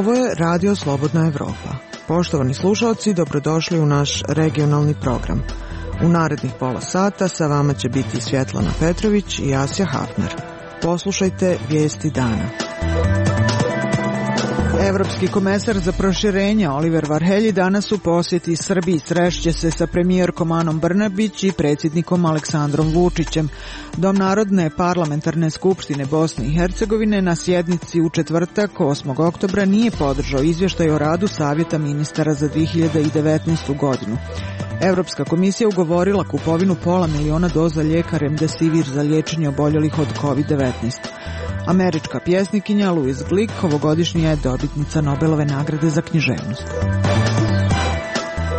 Ovo je Radio Slobodna Evropa. Poštovani slušalci, dobrodošli u naš regionalni program. U narednih pola sata sa vama će biti Svjetlana Petrović i Asja Hafner. Poslušajte vijesti dana. Evropski komesar za proširenje Oliver Varhelyi danas u posjeti Srbiji srešće se sa premijerkom Anom Brnabić i predsjednikom Aleksandrom Vučićem. Dom Narodne parlamentarne skupštine Bosne i Hercegovine na sjednici u četvrtak 8. oktobra nije podržao izvještaj o radu Savjeta ministara za 2019. godinu. Evropska komisija ugovorila kupovinu 500.000 doza lijeka Remdesivir za liječenje oboljelih od COVID-19. Američka pjesnikinja Louise Glick ovogodišnja je dobitnica Nobelove nagrade za književnost.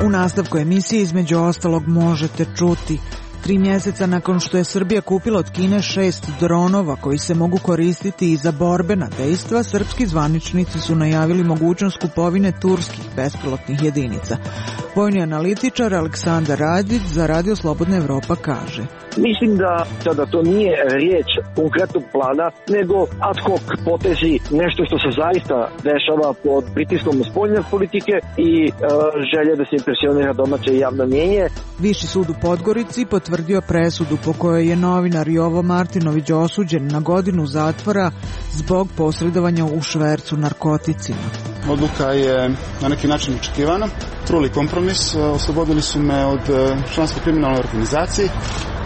U nastavku emisije između ostalog možete čuti: 3 mjeseca nakon što je Srbija kupila od Kine 6 dronova koji se mogu koristiti i za borbena dejstva, srpski zvaničnici su najavili mogućnost kupovine turskih bespilotnih jedinica. Vojni analitičar Aleksandar Radić za Radio Slobodna Evropa kaže: Mislim da to nije riječ konkretnog plana, nego ad hoc potezi, nešto što se zaista dešava pod pritiskom spoljne politike i želje da se impresionira domaće javno mnjenje. Viši sud u Podgorici potvrdio presudu po kojoj je novinar Jovo Martinović osuđen na 1 godinu zatvora zbog posredovanja u švercu narkoticima. Odluka je na neki način očekivana, truli kompromis, oslobodili su me od članstva kriminalnoj organizaciji,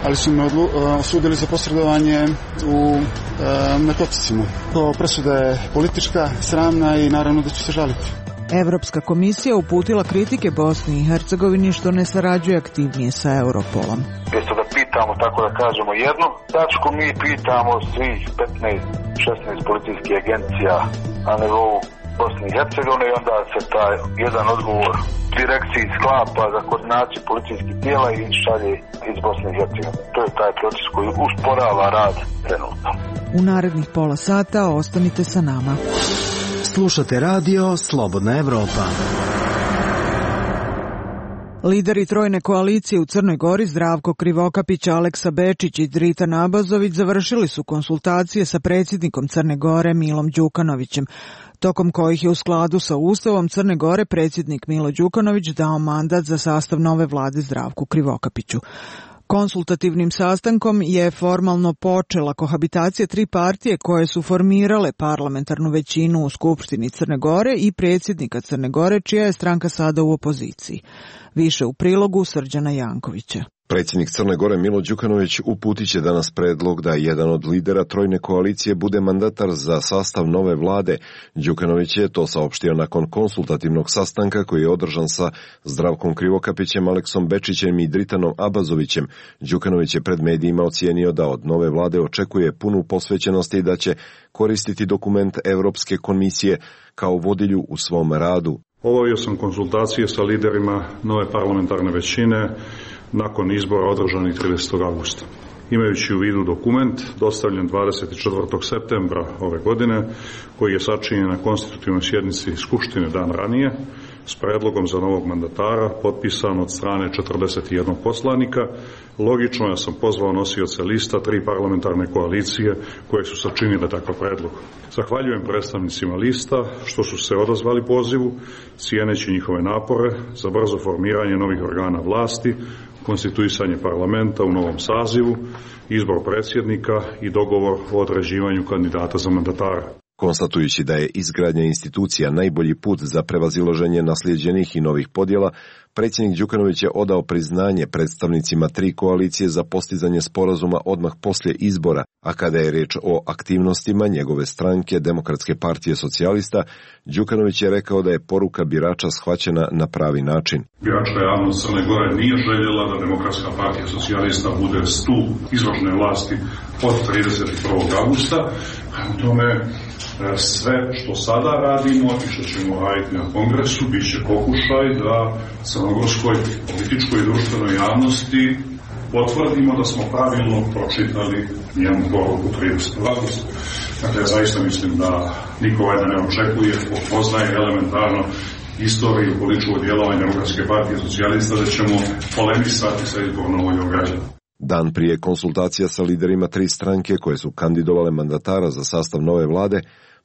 ali su me osudili za posredovanje u narkoticima. Presuda je politička, sramna i naravno da ću se žaliti. Evropska komisija uputila kritike Bosni i Hercegovini što ne sarađuje aktivnije sa Europolom. Mjesto da pitamo, tako da kažemo, jednu tačku, mi pitamo svih 15-16 policijskih agencija na nivou Bosni i Hercegovine i onda se taj jedan odgovor direkciji sklapa za koordinaciju policijskih tijela i šalje iz Bosne i Hercegovine. To je taj proces koji usporava rad trenutno. U narednih pola sata ostanite sa nama. Slušate Radio Slobodna Evropa. Lideri trojne koalicije u Crnoj Gori Zdravko Krivokapić, Aleksa Bečić i Dritan Abazović završili su konsultacije sa predsjednikom Crne Gore Milom Đukanovićem, tokom kojih je u skladu sa Ustavom Crne Gore predsjednik Milo Đukanović dao mandat za sastav nove vlade Zdravku Krivokapiću. Konsultativnim sastankom je formalno počela kohabitacija 3 partije koje su formirale parlamentarnu većinu u Skupštini Crne Gore i predsjednika Crne Gore, čija je stranka sada u opoziciji. Više u prilogu Srđana Jankovića. Predsjednik Crne Gore Milo Đukanović uputit će danas predlog da jedan od lidera trojne koalicije bude mandatar za sastav nove vlade. Đukanović je to saopštio nakon konsultativnog sastanka koji je održan sa Zdravkom Krivokapićem, Aleksom Bečićem i Dritanom Abazovićem. Đukanović je pred medijima ocijenio da od nove vlade očekuje punu posvećenost i da će koristiti dokument Evropske komisije kao vodilju u svom radu. Obavio sam konsultacije sa liderima nove parlamentarne većine nakon izbora održanih 30. augusta. Imajući u vidu dokument dostavljen 24. septembra ove godine, koji je sačinjen na konstitutivnoj sjednici Skupštine dan ranije, s predlogom za novog mandatara, potpisan od strane 41 poslanika, logično ja sam pozvao nosioce lista 3 parlamentarne koalicije koje su sačinile takav predlog. Zahvaljujem predstavnicima lista što su se odazvali pozivu, cijeneći njihove napore za brzo formiranje novih organa vlasti, konstituisanje parlamenta u novom sazivu, izbor predsjednika i dogovor o određivanju kandidata za mandatara. Konstatujući da je izgradnja institucija najbolji put za prevazilaženje naslijeđenih i novih podjela, predsjednik Đukanović je odao priznanje predstavnicima 3 koalicije za postizanje sporazuma odmah poslije izbora, a kada je riječ o aktivnostima njegove stranke Demokratske partije socijalista, Đukanović je rekao da je poruka birača shvaćena na pravi način. Biračka javnost Crne Gore nije željela da Demokratska partija socijalista bude stup izvršne vlasti od 31. augusta. U tome sve što sada radimo i što ćemo raditi na kongresu bit će pokušaj da crnogorskoj političkoj i društvenoj javnosti potvrdimo da smo pravilno pročitali njenu poruku 30. augusta. Dakle, ja zaista mislim da niko valjda ne očekuje, poznaje elementarno istoriju političkog djelovanja Demokratske partije socijalista, da ćemo polemisati sa izbornom voljom građana. Dan prije konsultacija sa liderima 3 stranke koje su kandidovale mandatara za sastav nove vlade,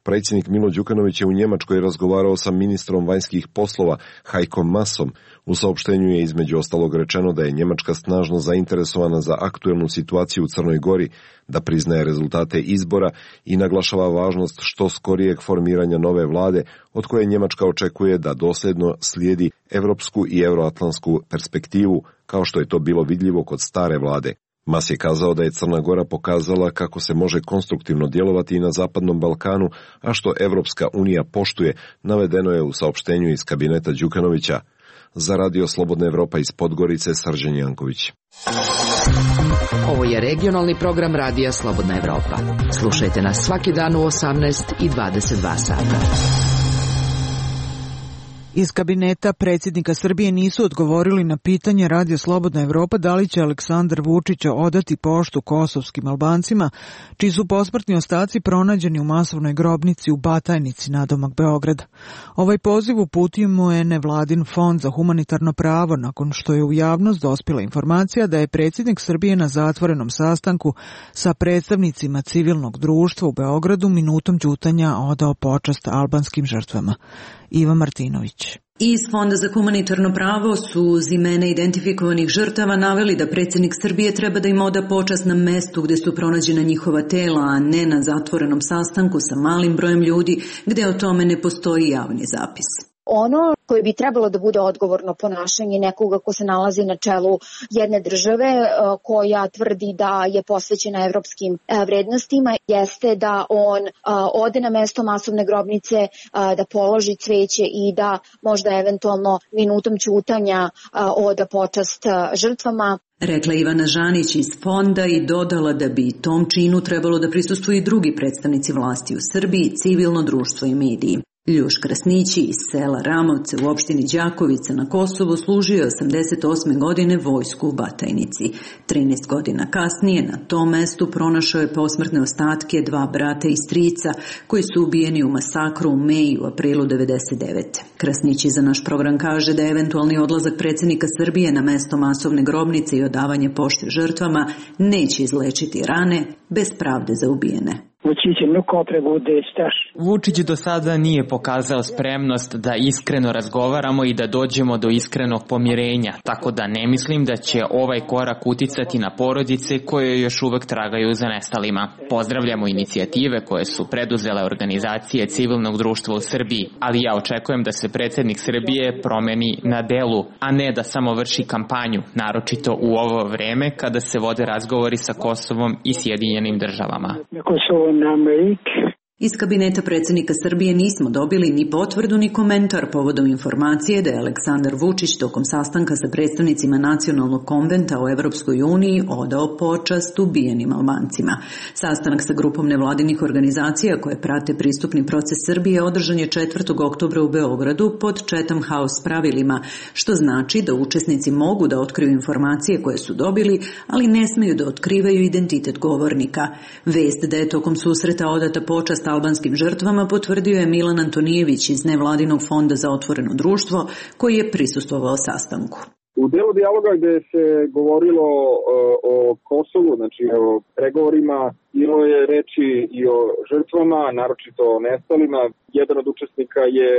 Predsjednik Milo Đukanović je u Njemačkoj razgovarao sa ministrom vanjskih poslova Heikom Maasom. U saopštenju je između ostalog rečeno da je Njemačka snažno zainteresovana za aktuelnu situaciju u Crnoj Gori, da priznaje rezultate izbora i naglašava važnost što skorijeg formiranja nove vlade, od koje Njemačka očekuje da dosljedno slijedi evropsku i euroatlantsku perspektivu, kao što je to bilo vidljivo kod stare vlade. Mas je kazao da je Crna Gora pokazala kako se može konstruktivno djelovati i na Zapadnom Balkanu, a što Evropska unija poštuje, navedeno je u saopštenju iz kabineta Đukanovića. Za Radio Slobodna Evropa iz Podgorice, Srđan Janković. Ovo je regionalni program Radija Slobodna Evropa. Slušajte nas svaki dan u 18 i 22 sata. Iz kabineta predsjednika Srbije nisu odgovorili na pitanje Radio Slobodna Evropa da li će Aleksandar Vučić odati poštu kosovskim Albancima, čiji su posmrtni ostaci pronađeni u masovnoj grobnici u Batajnici nadomak Beograda. Ovaj poziv uputio mu je nevladin fond za humanitarno pravo nakon što je u javnost dospjela informacija da je predsjednik Srbije na zatvorenom sastanku sa predstavnicima civilnog društva u Beogradu minutom ćutanja odao počast albanskim žrtvama. Iva Martinović. Iz Fonda za humanitarno pravo su uz imena identifikovanih žrtava naveli da predsjednik Srbije treba da im oda počast na mestu gdje su pronađena njihova tela, a ne na zatvorenom sastanku sa malim brojem ljudi gdje o tome ne postoji javni zapis. Ono koje bi trebalo da bude odgovorno ponašanje nekoga ko se nalazi na čelu jedne države koja tvrdi da je posvećena evropskim vrednostima, jeste da on ode na mesto masovne grobnice, da položi cveće i da možda eventualno minutom ćutanja oda počast žrtvama. Rekla Ivana Žanić iz Fonda i dodala da bi tom činu trebalo da prisustvuju i drugi predstavnici vlasti u Srbiji, civilno društvo i mediji. Ljuš Krasnići iz sela Ramovce u opštini Đakovica na Kosovu služio je 88. godine vojsku u Batajnici. 13 godina kasnije na tom mestu pronašao je posmrtne ostatke dva brata i strica koji su ubijeni u masakru u Meji u aprilu 1999. Krasnići za naš program kaže da je eventualni odlazak predsjednika Srbije na mesto masovne grobnice i odavanje pošte žrtvama neće izlečiti rane bez pravde za ubijene. Vučić do sada nije pokazao spremnost da iskreno razgovaramo i da dođemo do iskrenog pomirenja, tako da ne mislim da će ovaj korak uticati na porodice koje još uvek tragaju za nestalima. Pozdravljamo inicijative koje su preduzele organizacije civilnog društva u Srbiji, ali ja očekujem da se predsjednik Srbije promeni na delu, a ne da samo vrši kampanju, naročito u ovo vreme kada se vode razgovori sa Kosovom i Sjedinjenim državama. Iz kabineta predsjednika Srbije nismo dobili ni potvrdu ni komentar povodom informacije da je Aleksandar Vučić tokom sastanka sa predstavnicima Nacionalnog konventa o Evropskoj uniji odao počast ubijenim Albancima. Sastanak sa grupom nevladinih organizacija koje prate pristupni proces Srbije održan je 4. oktobra u Beogradu pod Chatham House pravilima, što znači da učesnici mogu da otkriju informacije koje su dobili, ali ne smeju da otkrivaju identitet govornika. Vest da je tokom susreta odata počast albanskim žrtvama potvrdio je Milan Antonijević iz nevladinog fonda za otvoreno društvo koji je prisustvovao sastanku. U delu dijaloga gde se govorilo o Kosovu, znači o pregovorima, bilo je reči i o žrtvama, naročito o nestalima. Jedan od učesnika je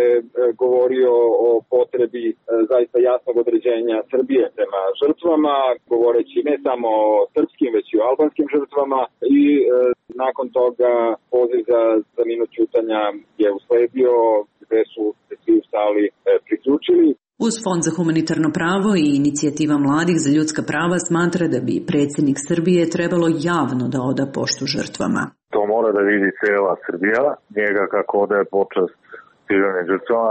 govorio o potrebi zaista jasnog određenja Srbije prema žrtvama, govoreći ne samo o srpskim, već i o albanskim žrtvama i nakon toga poziv za minut ćutanja je usledio gde su se svi u sali priključili. Uz Fond za humanitarno pravo i inicijativa mladih za ljudska prava smatra da bi predsjednik Srbije trebalo javno da oda poštu žrtvama. To mora da vidi cela Srbija, njega kako odaje počast civilnim žrtvama,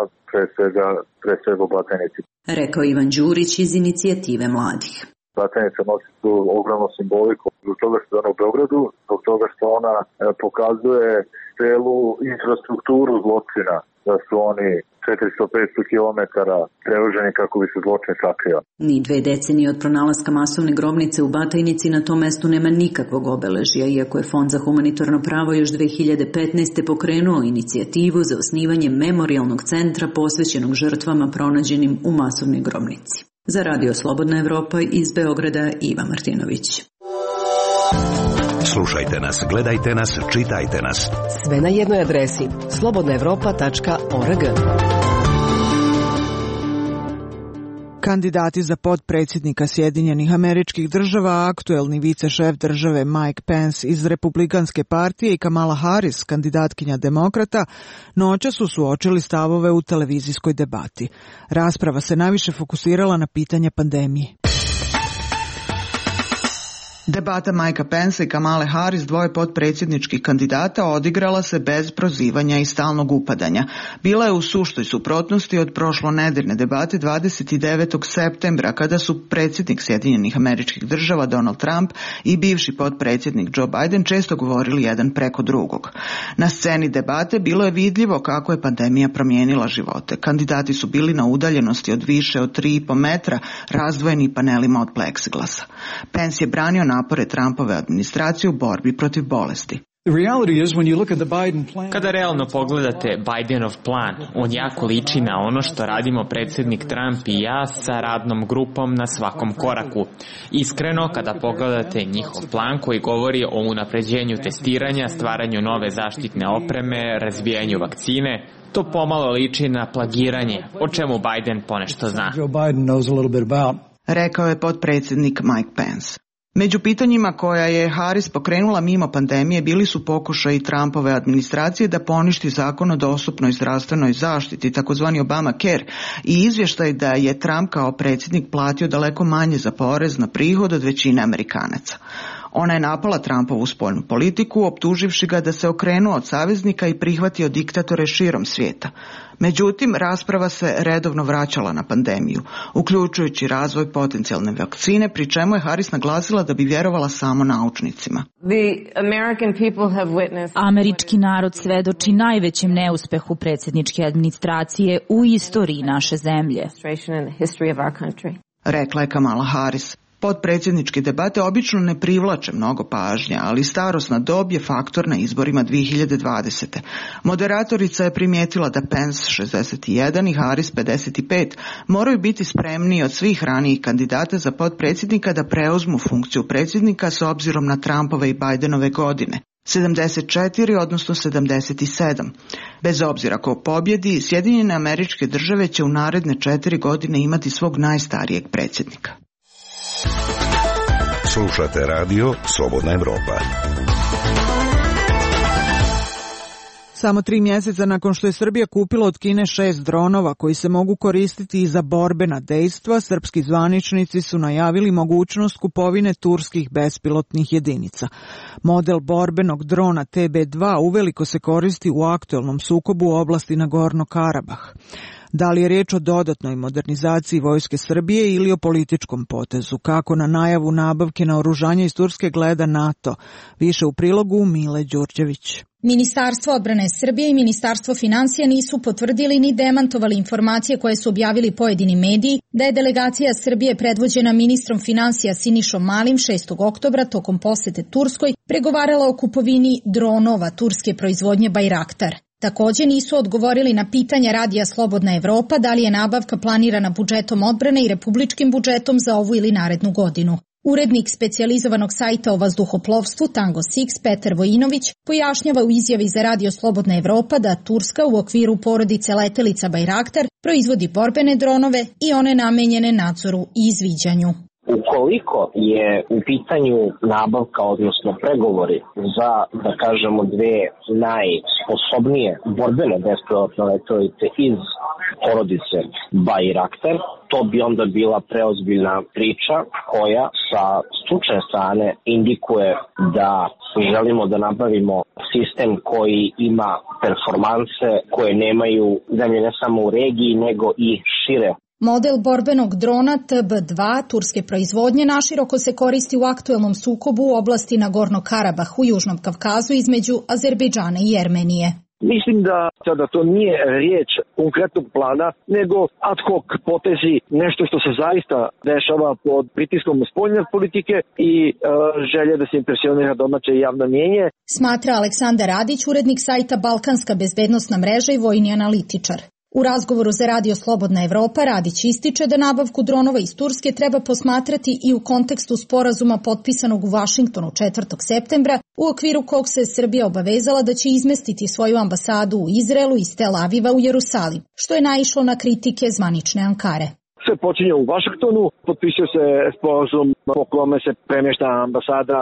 pre svega u Batajnici. Rekao Ivan Đurić iz inicijative mladih. Batajnica nosi tu ogromnu simboliku zbog toga što je ona u Beogradu, zbog toga što ona pokazuje celu infrastrukturu zločina, da su oni 400-500 kilometara prevoženi kako bi se zločin sakrio. Ni 2 decenije od pronalaska masovne grobnice u Batajnici na tom mestu nema nikakvog obeležja, iako je Fond za humanitarno pravo još 2015. pokrenuo inicijativu za osnivanje memorijalnog centra posvećenog žrtvama pronađenim u masovnoj grobnici. Za Radio Slobodna Evropa iz Beograda, Iva Martinović. Slušajte nas, gledajte nas, čitajte nas. Sve na jednoj adresi slobodnaevropa.org. Kandidati za potpredsjednika Sjedinjenih Američkih Država, aktuelni vicešef države Mike Pence iz Republikanske partije i Kamala Harris, kandidatkinja demokrata, noća su suočili stavove u televizijskoj debati. Rasprava se najviše fokusirala na pitanje pandemije. Debata Mikea Pensa i Kamale Harris, dvoje potpredsjedničkih kandidata, odigrala se bez prozivanja i stalnog upadanja. Bila je u suštoj suprotnosti od prošlonedeljne debate 29. septembra, kada su predsjednik Sjedinjenih Američkih Država Donald Trump i bivši potpredsjednik Joe Biden često govorili jedan preko drugog. Na sceni debate bilo je vidljivo kako je pandemija promijenila živote. Kandidati su bili na udaljenosti od više od 3,5 metra, razdvojeni panelima od pleksiglasa. Pence je branio napore Trumpove administracije u borbi protiv bolesti. Kada realno pogledate Bidenov plan, on jako liči na ono što radimo predsjednik Trump i ja sa radnom grupom na svakom koraku. Iskreno, kada pogledate njihov plan koji govori o unapređenju testiranja, stvaranju nove zaštitne opreme, razvijanju vakcine, to pomalo liči na plagiranje, o čemu Biden ponešto zna. Rekao je potpredsjednik Mike Pence. Među pitanjima koja je Harris pokrenula mimo pandemije bili su pokušaji Trumpove administracije da poništi zakon o dostupnoj zdravstvenoj zaštiti, takozvani Obamacare, i izvještaj da je Trump kao predsjednik platio daleko manje za porez na prihod od većine Amerikanaca. Ona je napala Trumpovu spoljnu politiku, optuživši ga da se okrenuo od saveznika i prihvatio diktatore širom svijeta. Međutim, rasprava se redovno vraćala na pandemiju, uključujući razvoj potencijalne vakcine, pri čemu je Harris naglasila da bi vjerovala samo naučnicima. Američki narod svedoči najvećem neuspehu predsjedničke administracije u istoriji naše zemlje, rekla je Kamala Harris. Potpredsjedničke debate obično ne privlače mnogo pažnja, ali starosna dob je faktor na izborima 2020. Moderatorica je primijetila da Pence 61 i Harris 55 moraju biti spremniji od svih ranijih kandidata za potpredsjednika da preuzmu funkciju predsjednika s obzirom na Trumpove i Bidenove godine. 74, odnosno 77. Bez obzira ko pobjedi, Sjedinjene Američke Države će u naredne 4 godine imati svog najstarijeg predsjednika. Slušate radio Slobodna Evropa. Samo 3 mjeseca nakon što je Srbija kupila od Kine 6 dronova koji se mogu koristiti i za borbena dejstva, srpski zvaničnici su najavili mogućnost kupovine turskih bespilotnih jedinica. Model borbenog drona TB2 uveliko se koristi u aktuelnom sukobu u oblasti Nagorno Karabah. Da li je riječ o dodatnoj modernizaciji vojske Srbije ili o političkom potezu? Kako na najavu nabavke naoružanja iz Turske gleda NATO? Više u prilogu Mile Đurđević. Ministarstvo odbrane Srbije i Ministarstvo financija nisu potvrdili ni demantovali informacije koje su objavili pojedini mediji da je delegacija Srbije predvođena ministrom financija Sinišom Malim 6. oktobra tokom posjete Turskoj pregovarala o kupovini dronova turske proizvodnje Bayraktar. Također nisu odgovorili na pitanja Radija Slobodna Evropa da li je nabavka planirana budžetom odbrane i republičkim budžetom za ovu ili narednu godinu. Urednik specijalizovanog sajta o vazduhoplovstvu Tango 6 Petar Vojinović pojašnjava u izjavi za Radio Slobodna Evropa da Turska u okviru porodice letelica Bayraktar proizvodi borbene dronove i one namenjene nadzoru i izviđanju. Ukoliko je u pitanju nabavka, odnosno pregovori za, da kažemo, dve najsposobnije borbene bespilotne letelice iz porodice Bayraktar, to bi onda bila preozbiljna priča koja sa stručne strane indikuje da želimo da nabavimo sistem koji ima performanse koje nemaju zemlje ne samo u regiji nego i šire. Model borbenog drona TB2 turske proizvodnje naširoko se koristi u aktuelnom sukobu u oblasti Nagorno Karabah u Južnom Kavkazu između Azerbejdžana i Jermenije. Mislim da to nije riječ konkretnog plana, nego ad hoc potezi, nešto što se zaista dešava pod pritiskom spoljne politike i želje da se impresionira domaće javno mnijenje. Smatra Aleksandar Radić, urednik sajta Balkanska bezbednosna mreža i vojni analitičar. U razgovoru za Radio Slobodna Evropa Radić ističe da nabavku dronova iz Turske treba posmatrati i u kontekstu sporazuma potpisanog u Vašingtonu 4. septembra, u okviru kog se Srbija obavezala da će izmestiti svoju ambasadu u Izraelu iz Tel Aviva u Jerusalim, što je naišlo na kritike zvanične Ankare. Sve počinje u Vašingtonu, potpisuje se sporazum po kome se premješta ambasada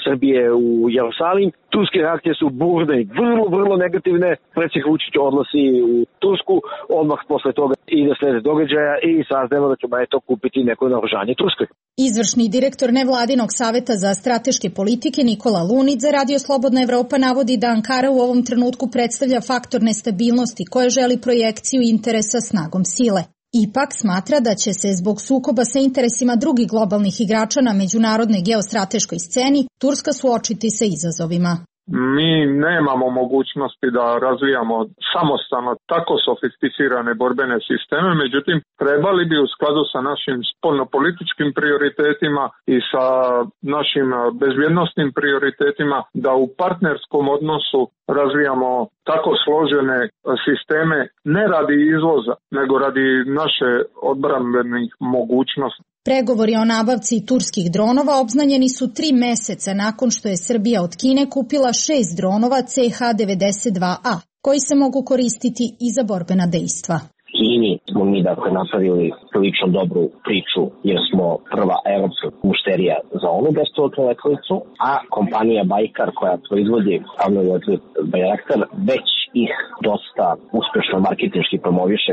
Srbije u Jerusalim. Turske reakcije su burne i vrlo negativne. Predsjednik Vučić odlazi u Tursku, odmah posle toga ide slijed događaja i saznajemo da ćemo kupiti neko naoružanje Turskoj. Izvršni direktor nevladinog saveta za strateške politike Nikola Lunić za Radio Slobodna Evropa navodi da Ankara u ovom trenutku predstavlja faktor nestabilnosti koja želi projekciju interesa snagom sile. Ipak smatra da će se zbog sukoba sa interesima drugih globalnih igrača na međunarodnoj geostrateškoj sceni Turska suočiti sa izazovima. Mi nemamo mogućnosti da razvijamo samostalno tako sofisticirane borbene sisteme, međutim trebali bi u skladu sa našim spoljnopolitičkim prioritetima i sa našim bezbjednosnim prioritetima da u partnerskom odnosu razvijamo tako složene sisteme ne radi izvoza, nego radi naše odbrambenih mogućnosti. Pregovori o nabavci turskih dronova obznanjeni su 3 meseca nakon što je Srbija od Kine kupila 6 dronova CH-92A, koji se mogu koristiti i za borbena dejstva. Kini smo mi napravili prilično dobru priču jer smo prva evropska mušterija za onu bespilotnu letelicu, a kompanija Bajkar koja proizvodi avionski letelicu Bayraktar već ih dosta uspešno marketinški promoviše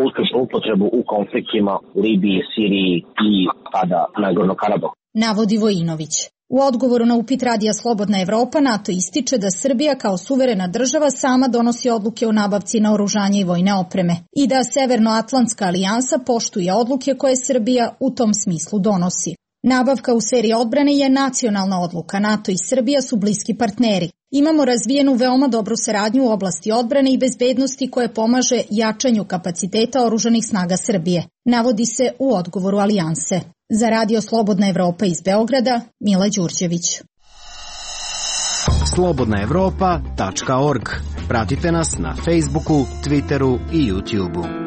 uspešnu upotrebu u konfliktima u Libiji, Siriji i pada na Nagorno-Karabahu. Navodi Vojinović. U odgovoru na upit Radija Slobodna Evropa NATO ističe da Srbija kao suverena država sama donosi odluke o nabavci naoružanja i vojne opreme i da Severnoatlantska alijansa poštuje odluke koje Srbija u tom smislu donosi. Nabavka u seriji odbrane je nacionalna odluka. NATO i Srbija su bliski partneri. Imamo razvijenu veoma dobru saradnju u oblasti odbrane i bezbednosti koje pomaže jačanju kapaciteta oružanih snaga Srbije, navodi se u odgovoru alijanse. Za Radio Slobodna Evropa iz Beograda, Mila Đurđević. slobodnaevropa.org. Pratite nas na Facebooku, Twitteru i YouTubeu.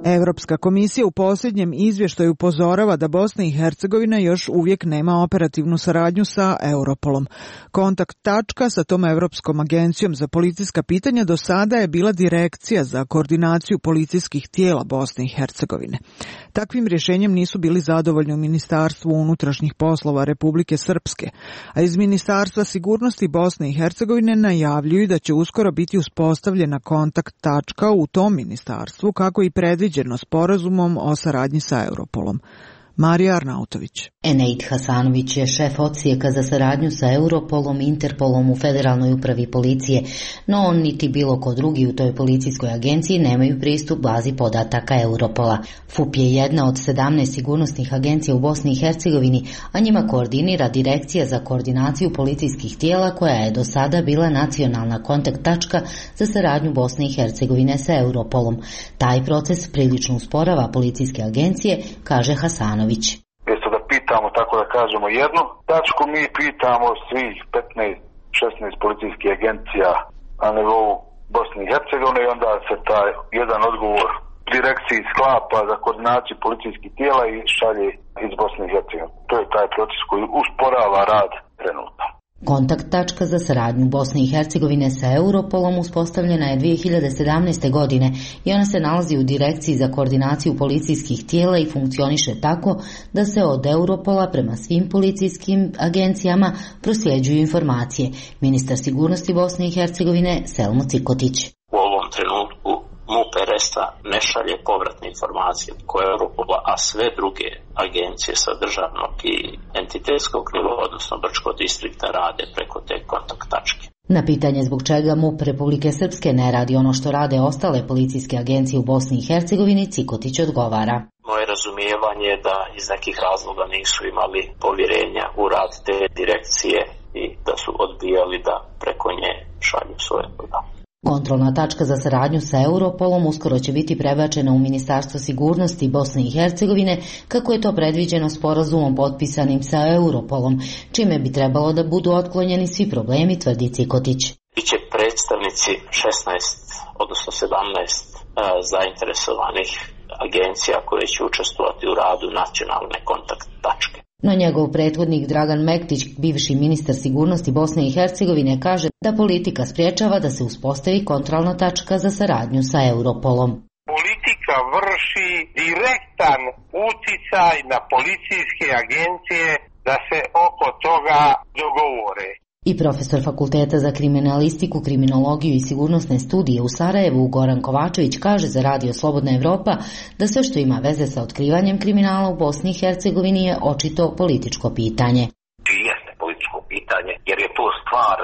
Evropska komisija u posljednjem izvještaju upozorava da Bosna i Hercegovina još uvijek nema operativnu saradnju sa Europolom. Kontakt tačka sa tom Evropskom agencijom za policijska pitanja do sada je bila Direkcija za koordinaciju policijskih tijela Bosne i Hercegovine. Takvim rješenjem nisu bili zadovoljni u Ministarstvu unutrašnjih poslova Republike Srpske, a iz Ministarstva sigurnosti Bosne i Hercegovine najavljuju da će uskoro biti uspostavljena kontakt tačka u tom ministarstvu kako i predviđeno sporazumom o saradnji sa Europolom. Marija Arnautović. Eneid Hasanović je šef odsjeka za saradnju sa Europolom i Interpolom u Federalnoj upravi policije, no on niti bilo ko drugi u toj policijskoj agenciji nemaju pristup bazi podataka Europola. FUP je jedna od 17 sigurnosnih agencija u Bosni i Hercegovini, a njima koordinira Direkcija za koordinaciju policijskih tijela koja je do sada bila nacionalna kontakt tačka za saradnju Bosne i Hercegovine sa Europolom. Taj proces prilično usporava policijske agencije, kaže Hasanović. Mjesto da pitamo, tako da kažemo, jednu tačku, mi pitamo svih 15-16 policijskih agencija na nivou Bosne i Hercegovine i onda se taj jedan odgovor direkciji sklapa za koordinaciju policijskih tijela i šalje iz Bosne i Hercegovine. To je taj proces koji usporava rad trenutno. Kontakt tačka za saradnju Bosne i Hercegovine sa Europolom uspostavljena je 2017. godine i ona se nalazi u Direkciji za koordinaciju policijskih tijela i funkcioniše tako da se od Europola prema svim policijskim agencijama prosljeđuju informacije. Ministar sigurnosti Bosne i Hercegovine Selmo Cikotić. U ovom trenutku MUP RS-a ne šalje povratne informacije koje Europola, a sve druge agencije sa državnog i entitetskog nivoa, odnosno Brčko-distrikta, rade preko te kontakt tačke. Na pitanje zbog čega MUP Republike Srpske ne radi ono što rade ostale policijske agencije u Bosni i Hercegovini, Cikotić odgovara. Moje razumijevanje je da iz nekih razloga nisu imali povjerenja u rad te direkcije i da su odbijali da preko nje šalju svoje podatke. Kontrolna tačka za saradnju sa Europolom uskoro će biti prebačena u Ministarstvo sigurnosti Bosne i Hercegovine, kako je to predviđeno sporazumom potpisanim sa Europolom, čime bi trebalo da budu otklonjeni svi problemi, tvrdi Cikotić. Biće predstavnici 16, odnosno 17 zainteresovanih agencija koje će učestvovati u radu nacionalne kontakt tačke. No njegov prethodnik Dragan Mektić, bivši ministar sigurnosti Bosne i Hercegovine, kaže da politika spriječava da se uspostavi kontrolna tačka za saradnju sa Europolom. Politika vrši direktan uticaj na policijske agencije da se oko toga dogovore. I profesor Fakulteta za kriminalistiku, kriminologiju i sigurnosne studije u Sarajevu, Goran Kovačević, kaže za Radio Slobodna Evropa da sve što ima veze sa otkrivanjem kriminala u Bosni i Hercegovini je očito političko pitanje. Jeste političko pitanje, jer je to stvar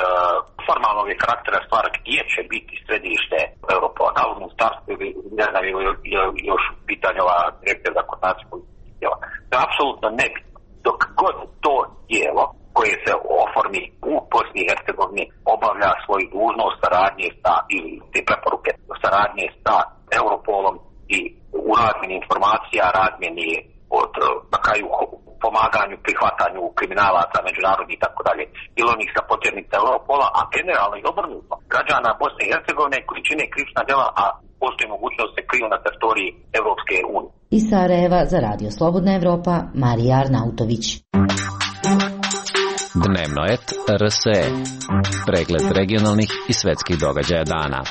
formalnog karaktera, stvar gdje će biti središte Europola, da li u ministarstvu ili ne znam, još pitanje ova direkcija za koordinaciju političkih tijela. To je apsolutno nebitno. Dok god to tijelo koje se oformi u Bosni i Hercegovini obavlja svoju dužnost saradnje sa, ili te preporuke saradnje sa Europolom i u razmjeni informacija, razmjeni od na kraju pomaganju, prihvatanju kriminalaca, međunarodnih i tako dalje, ili onih sa potjernica Europola, a generalno i obrnuto građana Bosne i Hercegovine koji čine krivična djela, a postoji mogućnost da se kriju na teritoriji Evropske unije. Iz Sarajeva za Radio Slobodna Evropa, Marija Arnautović. Dnevno et RSE. Pregled regionalnih i svetskih događaja dana.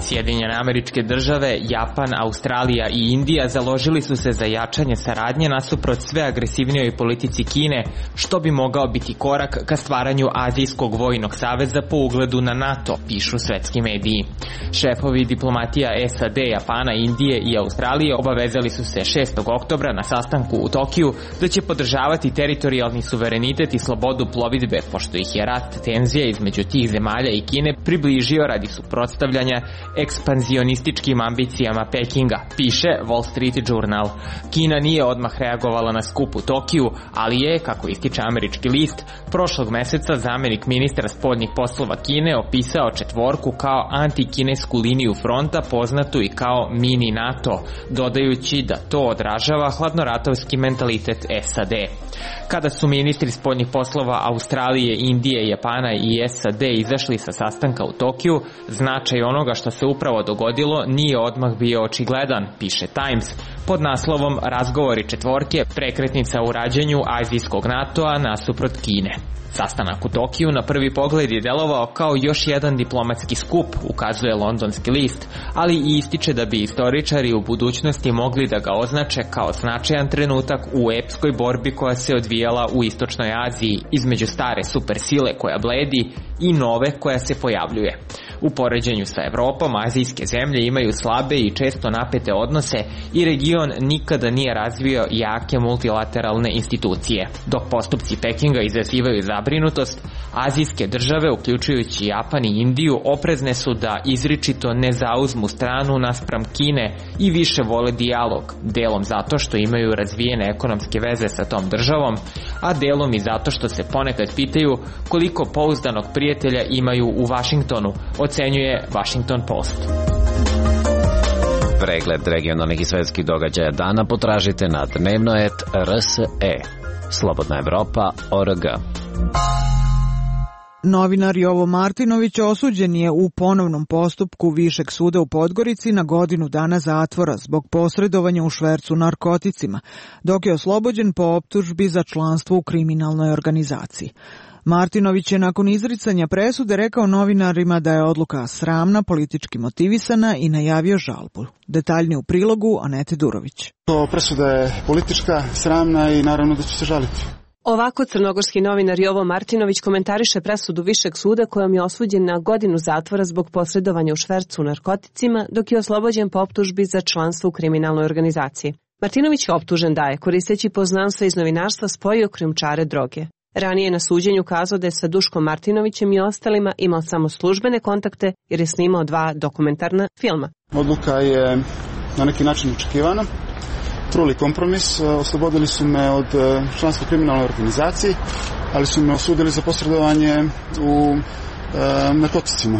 Sjedinjene Američke Države, Japan, Australija i Indija založili su se za jačanje saradnje nasuprot sve agresivnijoj politici Kine, što bi mogao biti korak ka stvaranju Azijskog vojnog saveza po ugledu na NATO, pišu svetski mediji. Šefovi diplomatija SAD, Japana, Indije i Australije obavezali su se 6. oktobra na sastanku u Tokiju da će podržavati teritorijalni suverenitet i slobodu plovidbe, pošto ih je rast tenzija između tih zemalja i Kine približio radi suprotstavljanja ekspanzionističkim ambicijama Pekinga, piše Wall Street Journal. Kina nije odmah reagovala na skup u Tokiju, ali je, kako ističe američki list, prošlog meseca zamenik ministra spoljnih poslova Kine opisao četvorku kao antikinesku liniju fronta poznatu i kao mini NATO, dodajući da to odražava hladnoratovski mentalitet SAD. Kada su ministri spoljnih poslova Australije, Indije, Japana i SAD izašli sa sastanka u Tokiju, značaj onoga što se upravo dogodilo nije odmah bio očigledan, piše Times, pod naslovom Razgovori četvorke, prekretnica u rađenju azijskog NATO-a nasuprot Kine. Sastanak u Tokiju na prvi pogled je delovao kao još jedan diplomatski skup, ukazuje londonski list, ali i ističe da bi istoričari u budućnosti mogli da ga označe kao značajan trenutak u epskoj borbi koja se odvijala u Istočnoj Aziji između stare supersile koja bledi i nove koja se pojavljuje. U poređenju sa Evropom, azijske zemlje imaju slabe i često napete odnose i region nikada nije razvio jake multilateralne institucije. Dok postupci Pekinga izazivaju zabrinutost, azijske države, uključujući Japan i Indiju, oprezne su da izričito ne zauzmu stranu naspram Kine i više vole dijalog, delom zato što imaju razvijene ekonomske veze sa tom državom, a delom i zato što se ponekad pitaju koliko pouzdanog prijatelja imaju u Vašingtonu, ocenjuje Washington Post. Pregled regionalnih i svetskih događaja dana potražite na dnevnoet.rse. Slobodna Evropa.org. Novinar Jovo Martinović osuđen je u ponovnom postupku Višeg suda u Podgorici na 1 godinu dana zatvora zbog posredovanja u švercu narkoticima, dok je oslobođen po optužbi za članstvo u kriminalnoj organizaciji. Martinović je nakon izricanja presude rekao novinarima da je odluka sramna, politički motivisana i najavio žalbu. Detaljni u prilogu Anete Durović. Presuda je politička, sramna i naravno da će se žaliti. Ovako crnogorski novinar Jovo Martinović komentariše presudu Višeg suda kojom je osuđen na 1 godinu zatvora zbog posredovanja u švercu narkoticima, dok je oslobođen po optužbi za članstvo u kriminalnoj organizaciji. Martinović je optužen da je, koristeći poznanstva iz novinarstva, spojio krijumčare droge. Ranije na suđenju kazao da je sa Duškom Martinovićem i ostalima imao samo službene kontakte jer je snimao 2 dokumentarna filma. Odluka je na neki način očekivana. Truli kompromis, oslobodili su me od članstva u kriminalnoj organizaciji, ali su me osudili za posredovanje u narkoticima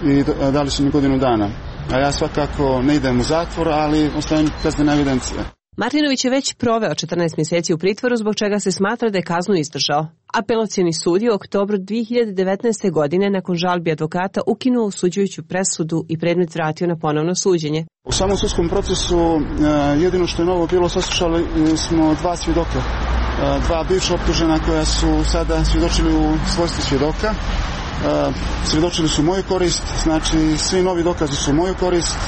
i dali su mi 1 godinu dana. A ja svakako ne idem u zatvor, ali ostavim kaznene evidencije. Martinović je već proveo 14 mjeseci u pritvoru, zbog čega se smatra da je kaznu izdržao. Apelacioni sud je u oktobru 2019. godine nakon žalbi advokata ukinuo osuđujuću presudu i predmet vratio na ponovno suđenje. U samom sudskom procesu jedino što je novo bilo, saslušali smo dva svjedoka, dva bivša optužena koja su sada svjedočili u svojstvu svjedoka. Svjedočili su moju korist, znači svi novi dokazi su moju korist.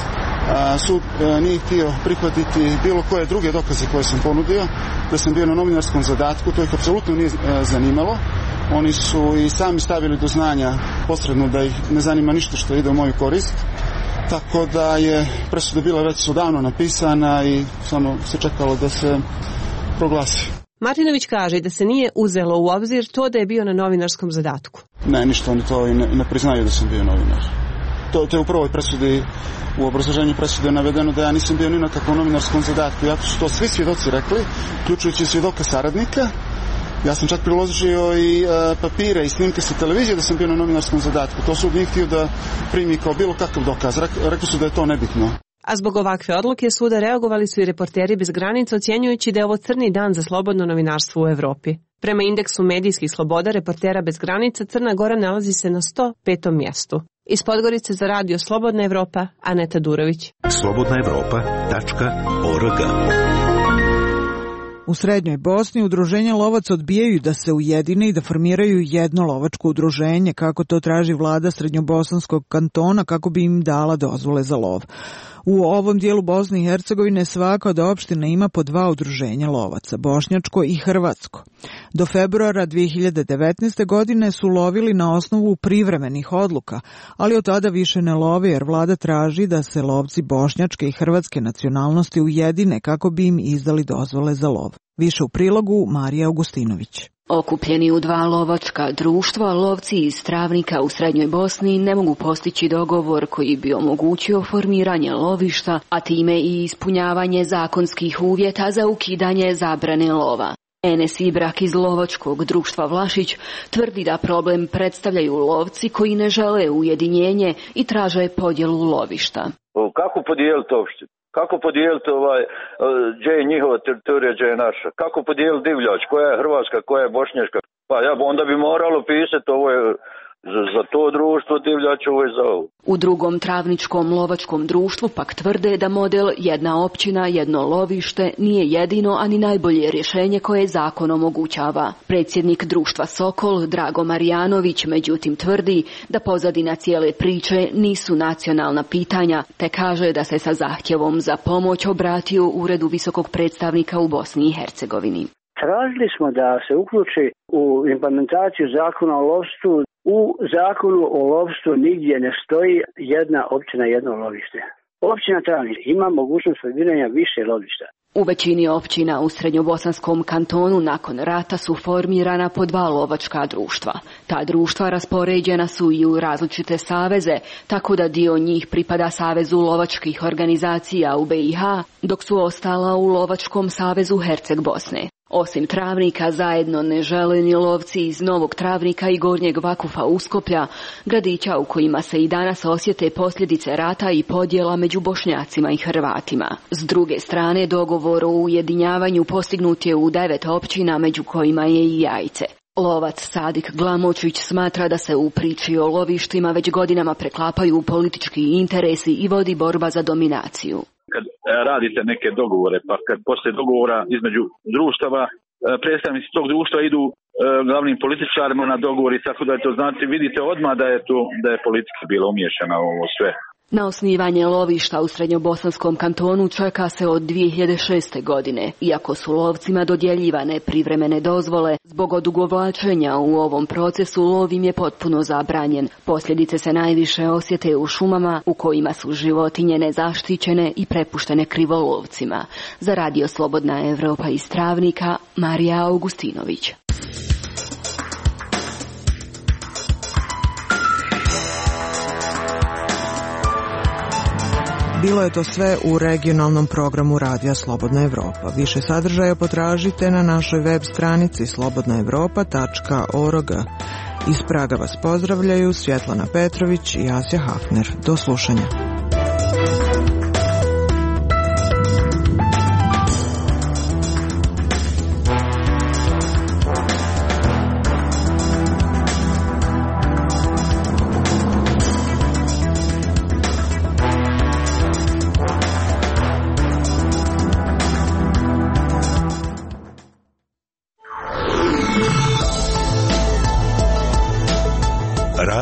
Sud nije htio prihvatiti bilo koje druge dokaze koje sam ponudio, da sam bio na novinarskom zadatku, to ih apsolutno nije zanimalo. Oni su i sami stavili do znanja posredno da ih ne zanima ništa što ide u moju korist, tako da je presuda bila već odavno napisana i samo se čekalo da se proglasi. Martinović kaže da se nije uzelo u obzir to da je bio na novinarskom zadatku. Ne, ništa, oni to i ne priznaju da sam bio novinar. To je u prvoj presudi, u obrazloženju presude navedeno da ja nisam bio ni na kakvom novinarskom zadatku. Iako su to svi svjedoci rekli, uključujući svjedoka saradnika. Ja sam čak priložio i papire i snimke sa televizije da sam bio na novinarskom zadatku. To sud nije htio da primi kao bilo kakav dokaz. Rekli su da je to nebitno. A zbog ovakve odluke suda reagovali su i Reporteri bez granica, ocjenjujući da je ovo crni dan za slobodno novinarstvo u Evropi. Prema indeksu medijskih sloboda Reportera bez granica, Crna Gora nalazi se na 105. mjestu. Iz Podgorice za radio Slobodna Evropa, Aneta Durović. slobodnaevropa.org. U Srednjoj Bosni udruženja lovaca odbijaju da se ujedine i da formiraju jedno lovačko udruženje, kako to traži vlada Srednjobosanskog kantona, kako bi im dala dozvole za lov. U ovom dijelu Bosne i Hercegovine svaka od opština ima po 2 udruženja lovaca, bošnjačko i hrvatsko. Do februara 2019. godine su lovili na osnovu privremenih odluka, ali od tada više ne love jer vlada traži da se lovci bošnjačke i hrvatske nacionalnosti ujedine kako bi im izdali dozvole za lov. Više u prilogu Marija Augustinović. Okupljeni u 2 lovačka društva, lovci iz Travnika u Srednjoj Bosni ne mogu postići dogovor koji bi omogućio formiranje lovišta, a time i ispunjavanje zakonskih uvjeta za ukidanje zabrane lova. Enes Ibrak iz lovačkog društva Vlašić tvrdi da problem predstavljaju lovci koji ne žele ujedinjenje i traže podjelu lovišta. Kako podijeliti opštinu? Kako podijeliti gdje je njihova teritorija, gdje je naša? Kako podijeliti divljač? Koja je hrvatska, koja je bošnjačka? Pa onda bi moralo pisati ovo je za to društvo divljač, ovo je za ovo. U drugom travničkom lovačkom društvu pak tvrde da model jedna općina, jedno lovište nije jedino, ani najbolje rješenje koje zakon omogućava. Predsjednik društva Sokol, Drago Marijanović, međutim tvrdi da pozadina cijele priče nisu nacionalna pitanja, te kaže da se sa zahtjevom za pomoć obratio Uredu visokog predstavnika u Bosni i Hercegovini. Tražili smo da se uključi u implementaciju zakona o lovstvu. U zakonu o lovstvu nigdje ne stoji jedna općina, jedno lovište. Općina Travnik ima mogućnost formiranja više lovišta. U većini općina u Srednjobosanskom kantonu nakon rata su formirana po 2 lovačka društva. Ta društva raspoređena su i u različite saveze, tako da dio njih pripada Savezu lovačkih organizacija u BiH, dok su ostala u Lovačkom savezu Herceg Bosne. Osim Travnika zajedno ne žele ni lovci iz Novog Travnika i Gornjeg Vakufa Uskoplja, gradića u kojima se i danas osjete posljedice rata i podjela među Bošnjacima i Hrvatima. S druge strane, dogovor o ujedinjavanju postignut je u 9 općina, među kojima je i Jajce. Lovac Sadik Glamočić smatra da se u priči o lovištima već godinama preklapaju politički interesi i vodi borba za dominaciju. Kad radite neke dogovore, pa kad poslije dogovora između društava, predstavnici tog društva idu glavnim političarima na dogovor i tako da je to, znači, vidite odmah da je politika bila umiješana u ovo sve. Na osnivanje lovišta u Srednjobosanskom kantonu čeka se od 2006. godine, iako su lovcima dodjeljivane privremene dozvole. Zbog odugovlačenja u ovom procesu lov im je potpuno zabranjen. Posljedice se najviše osjete u šumama u kojima su životinje nezaštićene i prepuštene krivolovcima. Za radio Slobodna Evropa iz Travnika, Marija Augustinović. Bilo je to sve u regionalnom programu Radija Slobodna Evropa. Više sadržaja potražite na našoj web stranici slobodnaevropa.org. Iz Praga vas pozdravljaju Svjetlana Petrović i Asja Hafner. Do slušanja.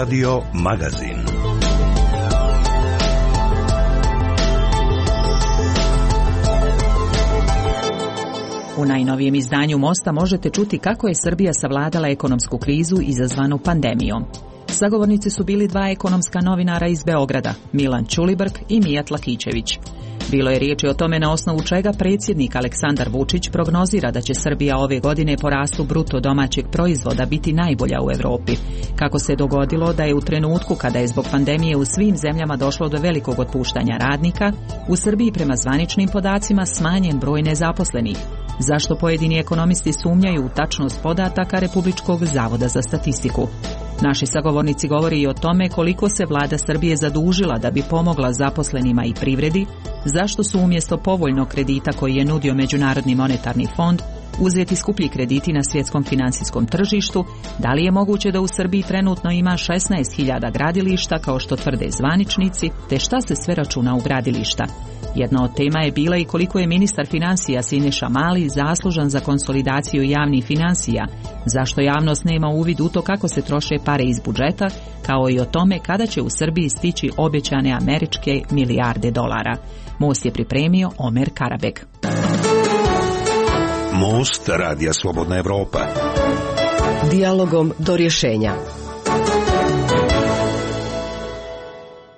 Radio magazin. U najnovijem izdanju Mosta možete čuti kako je Srbija savladala ekonomsku krizu izazvanu pandemijom. Sagovornici su bili dva ekonomska novinara iz Beograda, Milan Ćulibrk i Mijat Lakićević. Bilo je riječi o tome na osnovu čega predsjednik Aleksandar Vučić prognozira da će Srbija ove godine po rastu bruto domaćeg proizvoda biti najbolja u Europi. Kako se dogodilo da je u trenutku kada je zbog pandemije u svim zemljama došlo do velikog otpuštanja radnika, u Srbiji prema zvaničnim podacima smanjen broj nezaposlenih. Zašto pojedini ekonomisti sumnjaju u tačnost podataka Republičkog zavoda za statistiku? Naši sagovornici govori i o tome koliko se vlada Srbije zadužila da bi pomogla zaposlenima i privredi, zašto su umjesto povoljnog kredita koji je nudio Međunarodni monetarni fond uzeti skuplji krediti na svjetskom financijskom tržištu, da li je moguće da u Srbiji trenutno ima 16.000 gradilišta kao što tvrde zvaničnici, te šta se sve računa u gradilišta. Jedna od tema je bila i koliko je ministar financija Siniša Mali zaslužan za konsolidaciju javnih financija, zašto javnost nema uvid u to kako se troše pare iz budžeta, kao i o tome kada će u Srbiji stići obećane američke milijarde dolara. Most je pripremio Omer Karabek. Most Radija Slobodna Evropa. Dijalogom do rješenja.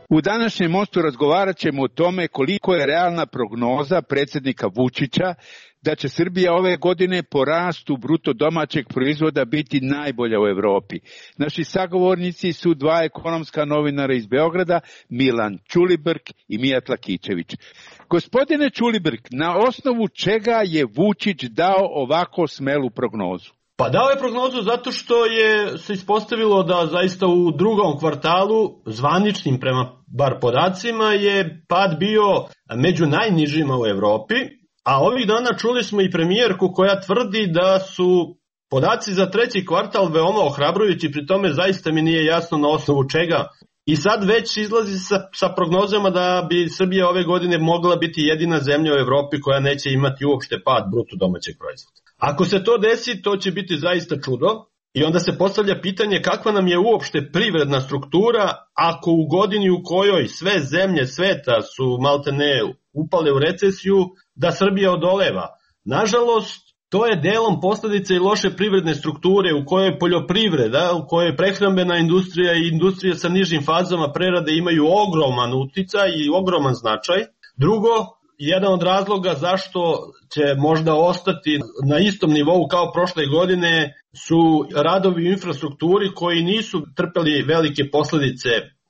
U današnjem Mostu razgovarat ćemo o tome koliko je realna prognoza predsjednika Vučića da će Srbija ove godine po rastu bruto domaćeg proizvoda biti najbolja u Europi. Naši sagovornici su dva ekonomska novinara iz Beograda, Milan Ćulibrk i Mijat Lakićević. Gospodine Ćulibrk, na osnovu čega je Vučić dao ovako smelu prognozu? Pa dao je prognozu zato što je se ispostavilo da zaista u drugom kvartalu, zvaničnim prema bar podacima, je pad bio među najnižima u Europi, a ovih dana čuli smo i premijerku koja tvrdi da su podaci za treći kvartal veoma ohrabrujući, pri tome zaista mi nije jasno na osnovu čega. I sad već izlazi sa prognozama da bi Srbija ove godine mogla biti jedina zemlja u Europi koja neće imati uopšte pad bruto domaćeg proizvoda. Ako se to desi, to će biti zaista čudo i onda se postavlja pitanje kakva nam je uopšte privredna struktura ako u godini u kojoj sve zemlje sveta su maltene upale u recesiju, da Srbija odoleva. Nažalost, to je delom posljedica i loše privredne strukture u kojoj poljoprivreda, u kojoj prehrambena industrija i industrija sa nižim fazama prerade imaju ogroman uticaj i ogroman značaj. Drugo, jedan od razloga zašto će možda ostati na istom nivou kao prošle godine su radovi u infrastrukturi koji nisu trpeli velike posljedice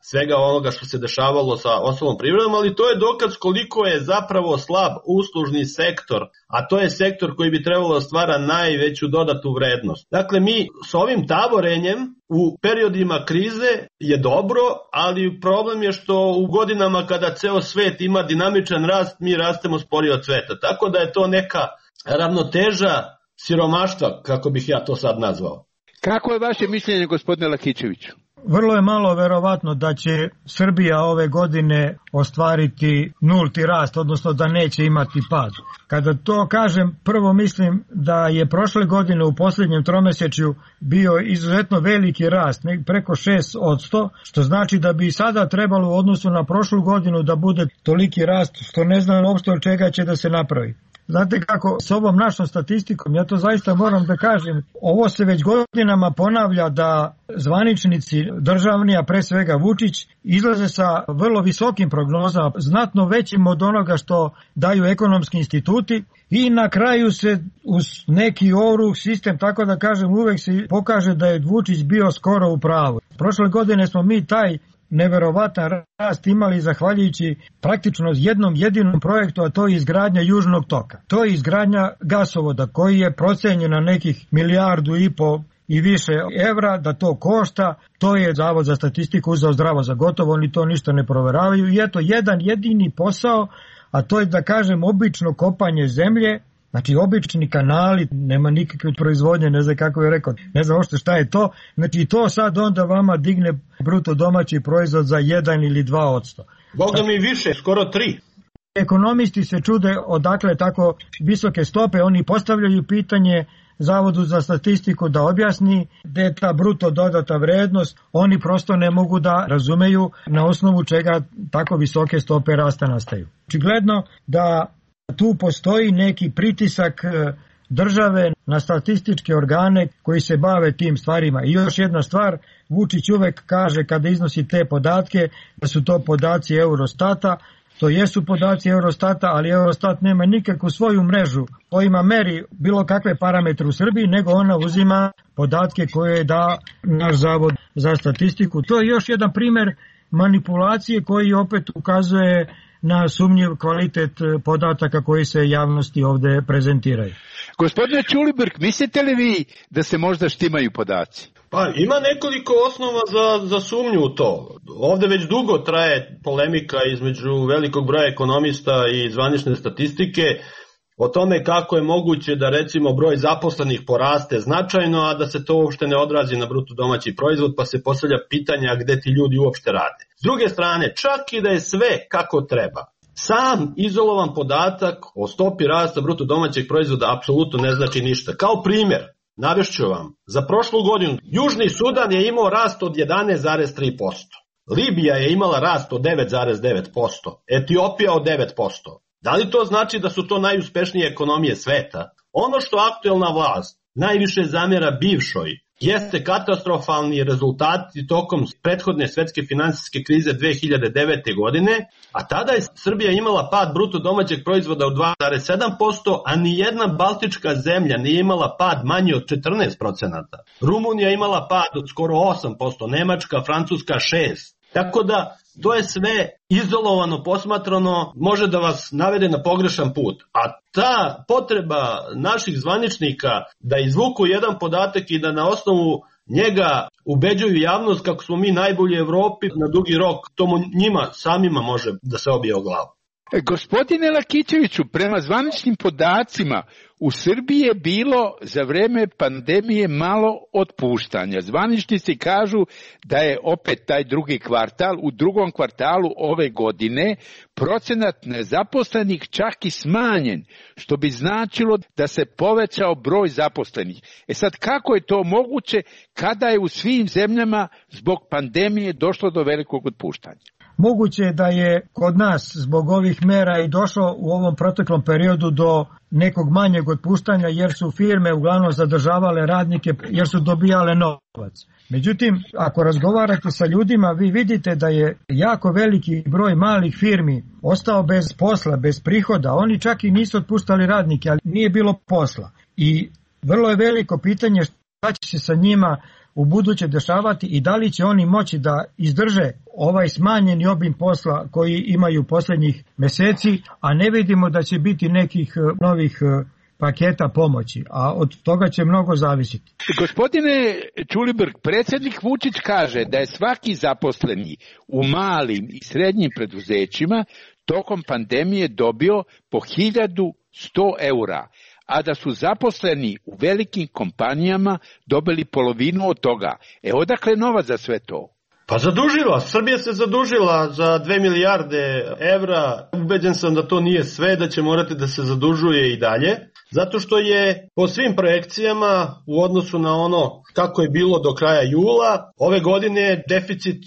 svega onoga što se dešavalo sa ostalom privredom, ali to je dokaz koliko je zapravo slab uslužni sektor, a to je sektor koji bi trebalo da stvara najveću dodatu vrednost. Dakle, mi s ovim tavorenjem u periodima krize je dobro, ali problem je što u godinama kada ceo svet ima dinamičan rast, mi rastemo sporije od sveta. Tako da je to neka ravnoteža siromaštva, kako bih ja to sad nazvao. Kako je vaše mišljenje, gospodine Lakićeviću? Vrlo je malo verovatno da će Srbija ove godine ostvariti nulti rast, odnosno da neće imati pad. Kada to kažem, prvo mislim da je prošle godine u posljednjem tromesečju bio izuzetno veliki rast, preko 6%, što znači da bi sada trebalo u odnosu na prošlu godinu da bude toliki rast, što ne znam uopšte od čega će da se napravi. Znate kako, s ovom našom statistikom, ja to zaista moram da kažem, ovo se već godinama ponavlja da zvaničnici državni, a pre svega Vučić, izlaze sa vrlo visokim prognozama, znatno većim od onoga što daju ekonomski instituti i na kraju se uz neki ovrh sistem, tako da kažem, uvek se pokaže da je Vučić bio skoro u pravu. Prošle godine smo mi taj neverovatan rast imali zahvaljujući praktično jednom jedinom projektu, a to je izgradnja Južnog toka. To je izgradnja gasovoda koji je procenjen na nekih 1,5 milijardu i više evra da to košta. To je Zavod za statistiku uzeo zdravo za gotovo, oni to ništa ne proveravaju i eto jedan jedini posao, a to je da kažem obično kopanje zemlje. Znači obični kanali, nema nikakve proizvodnje, ne znam kako je rekao, ne znam ošte šta je to. Znači to sad onda vama digne bruto domaći proizvod za 1 ili 2%. Boga mi više, skoro 3. ekonomisti se čude odakle tako visoke stope, oni postavljaju pitanje Zavodu za statistiku da objasni da je ta bruto dodata vrednost, oni prosto ne mogu da razumeju na osnovu čega tako visoke stope rasta nastaju. Očigledno da tu postoji neki pritisak države na statističke organe koji se bave tim stvarima. I još jedna stvar, Vučić uvek kaže kada iznosi te podatke da su to podaci Eurostata. To jesu podaci Eurostata, ali Eurostat nema nikakvu svoju mrežu kojima meri bilo kakve parametre u Srbiji, nego ona uzima podatke koje da naš Zavod za statistiku. To je još jedan primer manipulacije koji opet ukazuje na sumnjiv kvalitet podataka koji se javnosti ovde prezentiraju. Gospodine Ćulibrk, mislite li vi da se možda štimaju podaci? Pa ima nekoliko osnova za sumnju u to. Ovde već dugo traje polemika između velikog broja ekonomista i zvanične statistike o tome kako je moguće da recimo broj zaposlenih poraste značajno, a da se to uopšte ne odrazi na bruto domaći proizvod, pa se postavlja pitanja gde ti ljudi uopšte rade. S druge strane, čak i da je sve kako treba, sam izolovan podatak o stopi rasta bruto domaćeg proizvoda apsolutno ne znači ništa. Kao primjer, navešću vam, za prošlu godinu Južni Sudan je imao rast od 11,3%, Libija je imala rast od 9,9%, Etiopija od 9%. Da li to znači da su to najuspešnije ekonomije sveta? Ono što aktuelna vlast najviše zamjera bivšoj jeste katastrofalni rezultati tokom prethodne svetske finansijske krize 2009. godine, a tada je Srbija imala pad bruto domaćeg proizvoda od 2,7%, a nijedna baltička zemlja nije imala pad manji od 14%. Rumunija imala pad od skoro 8%, Nemačka, Francuska 6%. Tako da to je sve izolovano posmatrano, može da vas navede na pogrešan put. A ta potreba naših zvaničnika da izvuku jedan podatak i da na osnovu njega ubeđuju javnost kako smo mi najbolji u Evropi, na dugi rok to njima samima može da se obije o glavu. Gospodine Lakićeviću, prema zvaničnim podacima u Srbiji je bilo za vreme pandemije malo otpuštanja. Zvaničnici kažu da je opet taj drugi kvartal, u drugom kvartalu ove godine procenat nezaposlenih čak i smanjen, što bi značilo da se povećao broj zaposlenih. Sad, kako je to moguće kada je u svim zemljama zbog pandemije došlo do velikog otpuštanja? Moguće je da je kod nas zbog ovih mera i došlo u ovom proteklom periodu do nekog manjeg otpuštanja jer su firme uglavnom zadržavale radnike jer su dobijale novac. Međutim, ako razgovarate sa ljudima, vi vidite da je jako veliki broj malih firmi ostao bez posla, bez prihoda. Oni čak i nisu otpuštali radnike, ali nije bilo posla. I vrlo je veliko pitanje šta će se sa njima u buduće dešavati i da li će oni moći da izdrže ovaj smanjeni obim posla koji imaju posljednjih meseci, a ne vidimo da će biti nekih novih paketa pomoći, a od toga će mnogo zavisiti. Gospodine Ćulibrk, predsjednik Vučić kaže da je svaki zaposleni u malim i srednjim preduzećima tokom pandemije dobio po 1100 eura, a da su zaposleni u velikim kompanijama dobili polovinu od toga. Odakle novac za sve to? Pa zadužila, Srbija se zadužila za 2 milijarde evra. Ubeđen sam da to nije sve, da će morati da se zadužuje i dalje, zato što je po svim projekcijama u odnosu na ono kako je bilo do kraja jula, ove godine deficit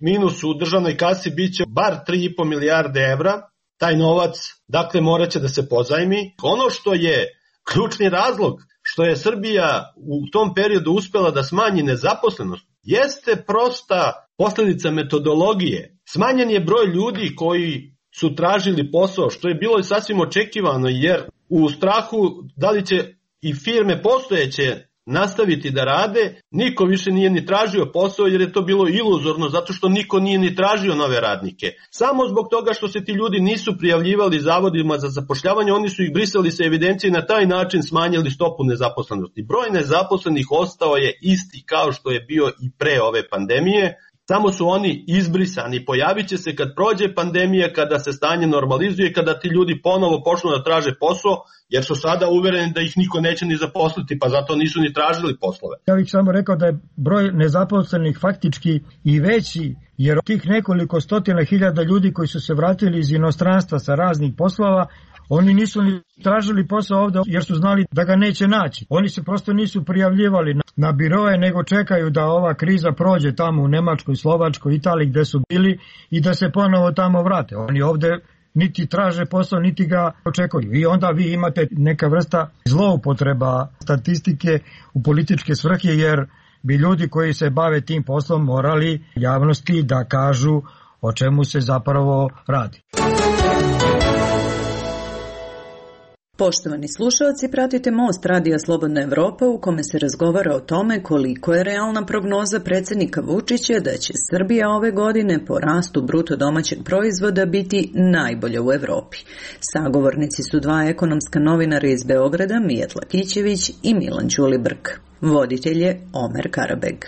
minus u državnoj kasi biće bar 3,5 milijarde evra. Taj novac, dakle, morat će da se pozajmi. Ono što je ključni razlog što je Srbija u tom periodu uspela da smanji nezaposlenost jeste prosta posljedica metodologije. Smanjen je broj ljudi koji su tražili posao, što je bilo i sasvim očekivano, jer u strahu da li će i firme postojeće nastaviti da rade, niko više nije ni tražio posao jer je to bilo iluzorno zato što niko nije ni tražio nove radnike. Samo zbog toga što se ti ljudi nisu prijavljivali zavodima za zapošljavanje, oni su ih brisali sa evidencije i na taj način smanjili stopu nezaposlenosti. Broj nezaposlenih ostao je isti kao što je bio i pre ove pandemije. samo su oni izbrisani. Pojavit će se kad prođe pandemija, kada se stanje normalizuje, kada ti ljudi ponovo počnu da traže posao, jer su sada uvereni da ih niko neće ni zaposliti, pa zato nisu ni tražili poslove. Ja bih samo rekao da je broj nezaposlenih faktički i veći, jer tih nekoliko stotina hiljada ljudi koji su se vratili iz inostranstva sa raznih poslova, oni nisu ni tražili posao ovde jer su znali da ga neće naći. Oni se prosto nisu prijavljivali na biroje, nego čekaju da ova kriza prođe tamo u Nemačkoj, Slovačkoj, Italiji gde su bili i da se ponovo tamo vrate. Oni ovde niti traže posao, niti ga očekuju. I onda vi imate neka vrsta zloupotreba statistike u političke svrhe, jer bi ljudi koji se bave tim poslom morali javnosti da kažu o čemu se zapravo radi. Poštovani slušalci, pratite Most Radija Slobodna Evropa u kome se razgovara o tome koliko je realna prognoza predsjednika Vučića da će Srbija ove godine po rastu bruto domaćeg proizvoda biti najbolja u Evropi. Sagovornici su dva ekonomska novinara iz Beograda, Mijat Lakićević i Milan Ćulibrk. Voditelj je Omer Karabeg.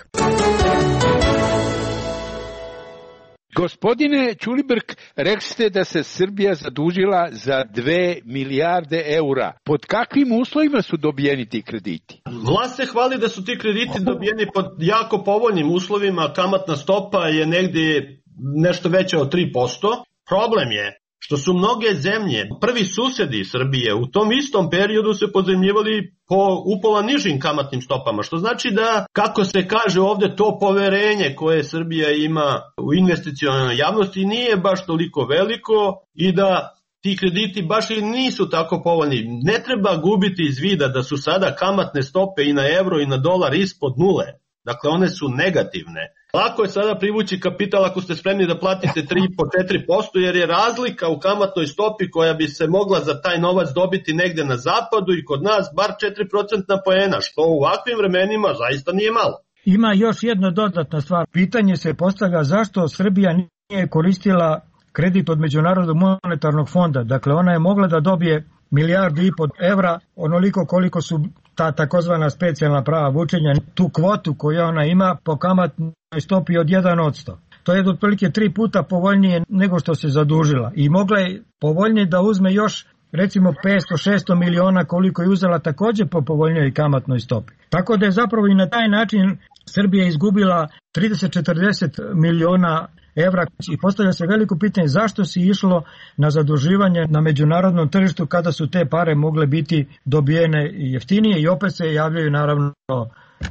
Gospodine Ćulibrk, rekli ste da se Srbija zadužila za 2 milijarde eura. Pod kakvim uslovima su dobijeni ti krediti? Vlast se hvali da su ti krediti dobijeni pod jako povoljnim uslovima. Kamatna stopa je negdje nešto veća od 3%. Problem je što su mnoge zemlje, prvi susjedi Srbije, u tom istom periodu se pozajmljivali po upola nižim kamatnim stopama, što znači da, kako se kaže ovde, to poverenje koje Srbija ima u investicionalnoj javnosti nije baš toliko veliko i da ti krediti baš i nisu tako povoljni. Ne treba gubiti iz vida da su sada kamatne stope i na euro i na dolar ispod nule. Dakle, one su negativne. Lako je sada privući kapital ako ste spremni da platite 3,5-4%, jer je razlika u kamatnoj stopi koja bi se mogla za taj novac dobiti negde na zapadu i kod nas bar 4% poena, što u ovakvim vremenima zaista nije malo. Ima još jedna dodatna stvar. Pitanje se postavlja zašto Srbija nije koristila kredit od Međunarodnog monetarnog fonda. Dakle, ona je mogla da dobije 1,5 milijardu evra, onoliko koliko su ta takozvana specijalna prava vučenja, tu kvotu koju ona ima po kamatnoj stopi od 1%. To je otprilike 3 puta povoljnije nego što se zadužila i mogla je povoljnije da uzme još recimo 500-600 miliona koliko je uzela također po povoljnijoj kamatnoj stopi. Tako da je zapravo i na taj način Srbija izgubila 30-40 miliona evra i postavlja se veliko pitanje zašto se išlo na zaduživanje na međunarodnom tržištu kada su te pare mogle biti dobijene jeftinije i opet se javljaju naravno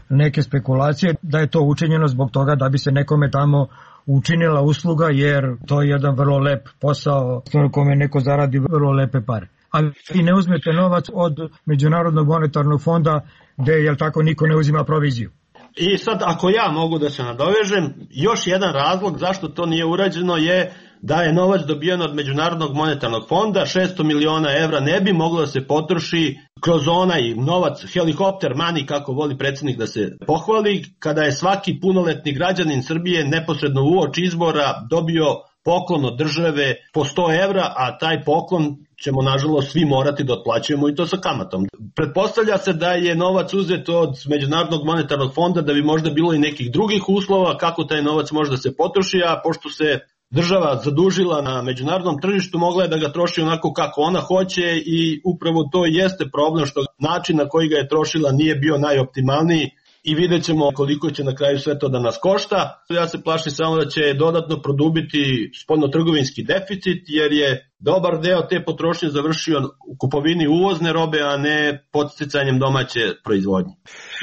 neke spekulacije da je to učinjeno zbog toga da bi se nekome tamo učinila usluga, jer to je jedan vrlo lep posao u kome neko zaradi vrlo lepe pare. Ali vi ne uzmete novac od Međunarodnog monetarnog fonda gde, jel tako, niko ne uzima proviziju. I sad, ako ja mogu da se nadovežem, još jedan razlog zašto to nije urađeno je da je novac dobijen od Međunarodnog monetarnog fonda, 600 miliona evra ne bi moglo da se potroši kroz onaj novac helikopter money, kako voli predsjednik da se pohvali, kada je svaki punoletni građanin Srbije neposredno uoči izbora dobio poklon od države po 100 evra, a taj poklon ćemo nažalost svi morati da otplaćujemo i to sa kamatom. Pretpostavlja se da je novac uzet od Međunarodnog monetarnog fonda da bi možda bilo i nekih drugih uslova kako taj novac može da se potroši, a pošto se država zadužila na međunarodnom tržištu, mogla je da ga troši onako kako ona hoće i upravo to jeste problem što način na koji ga je trošila nije bio najoptimalniji i vidjet ćemo koliko će na kraju sve to da nas košta. Ja se plašim samo da će dodatno produbiti spoljnotrgovinski deficit, jer je dobar deo te potrošnje završio u kupovini uvozne robe, a ne podsticanjem domaće proizvodnje.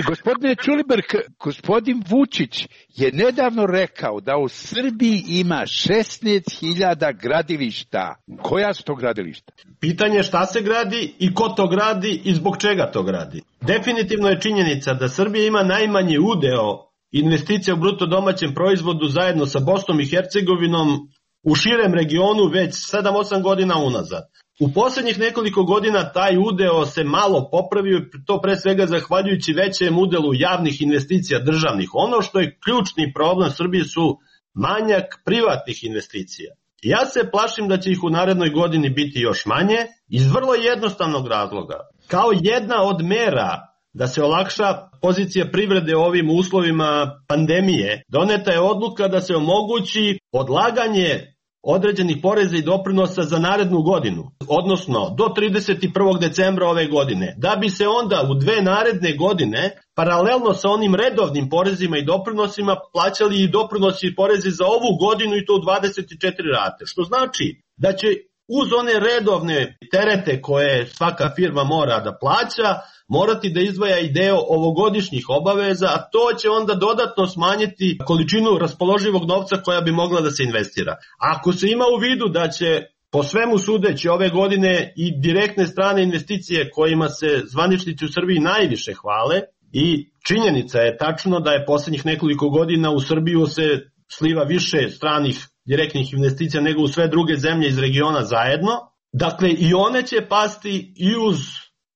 Gospodine Ćulibrk, gospodin Vučić je nedavno rekao da u Srbiji ima 16.000 gradilišta. Koja su to gradilišta? Pitanje je šta se gradi i ko to gradi i zbog čega to gradi. Definitivno je činjenica da Srbija ima najmanji udeo investicija u bruto domaćem proizvodu zajedno sa Bosnom i Hercegovinom u širem regionu već 7-8 godina unazad. U posljednjih nekoliko godina taj udeo se malo popravio, to pre svega zahvaljujući većem udelu javnih investicija državnih. Ono što je ključni problem Srbije su manjak privatnih investicija. Ja se plašim da će ih u narednoj godini biti još manje iz vrlo jednostavnog razloga. Kao jedna od mera da se olakša pozicija privrede u ovim uslovima pandemije, doneta je odluka da se omogući odlaganje određenih poreza i doprinosa za narednu godinu, odnosno do 31. decembra ove godine, da bi se onda u 2 naredne godine, paralelno sa onim redovnim porezima i doprinosima, plaćali i doprinosi i porezi za ovu godinu i to u 24 rate, što znači da će uz one redovne terete koje svaka firma mora da plaća, morati da izdvaja i deo ovogodišnjih obaveza, a to će onda dodatno smanjiti količinu raspoloživog novca koja bi mogla da se investira. Ako se ima u vidu da će po svemu sudeći ove godine i direktne strane investicije kojima se zvaničnici u Srbiji najviše hvale, i činjenica je tačno da je poslednjih nekoliko godina u Srbiju se sliva više stranih direktnih investicija nego u sve druge zemlje iz regiona zajedno. Dakle, i one će pasti i uz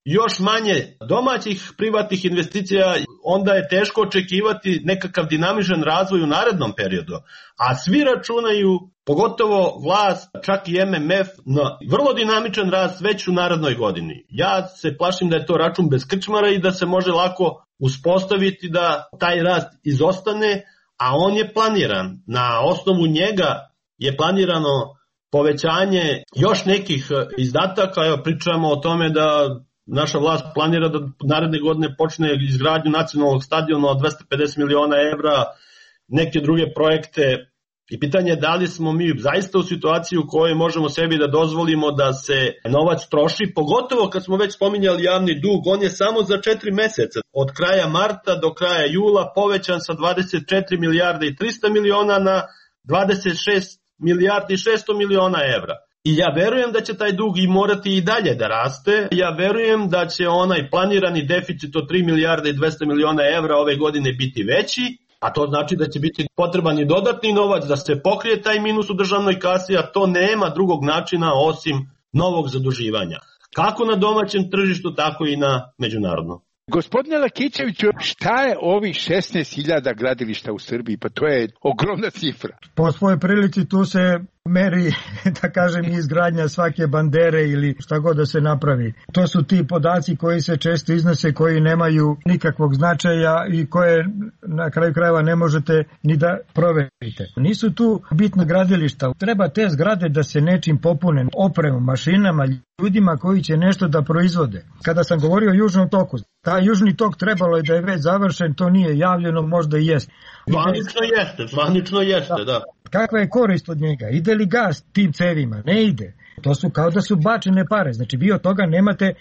još manje domaćih privatnih investicija, onda je teško očekivati nekakav dinamičan razvoj u narednom periodu. A svi računaju, pogotovo vlast, čak i MMF, na vrlo dinamičan rast već u narednoj godini. Ja se plašim da je to račun bez krčmara i da se može lako uspostaviti da taj rast izostane, a on je planiran. Na osnovu njega je planirano povećanje još nekih izdataka. Evo, pričamo o tome da naša vlast planira da naredne godine počne izgradnju nacionalnog stadiona od 250 miliona evra, neke druge projekte. I pitanje je da li smo mi zaista u situaciji u kojoj možemo sebi da dozvolimo da se novac troši, pogotovo kad smo već spominjali javni dug, on je samo za 4 meseca, od kraja marta do kraja jula povećan sa 24 milijarde i 300 miliona na 26 milijardi i 600 miliona evra. I ja verujem da će taj dug i morati i dalje da raste. Ja verujem da će onaj planirani deficit od 3 milijarde i 200 miliona evra ove godine biti veći, a to znači da će biti potreban i dodatni novac da se pokrije taj minus u državnoj kasi, a to nema drugog načina osim novog zaduživanja. Kako na domaćem tržištu, tako i na međunarodnom. Gospodine Lakićeviću, šta je ovih 16.000 gradilišta u Srbiji? Pa to je ogromna cifra. Po svojoj prilici tu se meri, da kažem, izgradnja svake bandere ili šta god da se napravi. To su ti podaci koji se često iznose, koji nemaju nikakvog značaja i koje na kraju krajeva ne možete ni da proverite. Nisu tu bitna gradilišta. Treba te zgrade da se nečim popune, opremom, mašinama, ljudima koji će nešto da proizvode. Kada sam govorio o Južnom toku, taj Južni tok trebalo je da je već završen, to nije javljeno, možda i jeste. Zvanično jeste, da. Kakva je korist od njega? Ide li gas tim cevima? Ne ide. To su kao da su bačene pare. Znači vi od toga nemate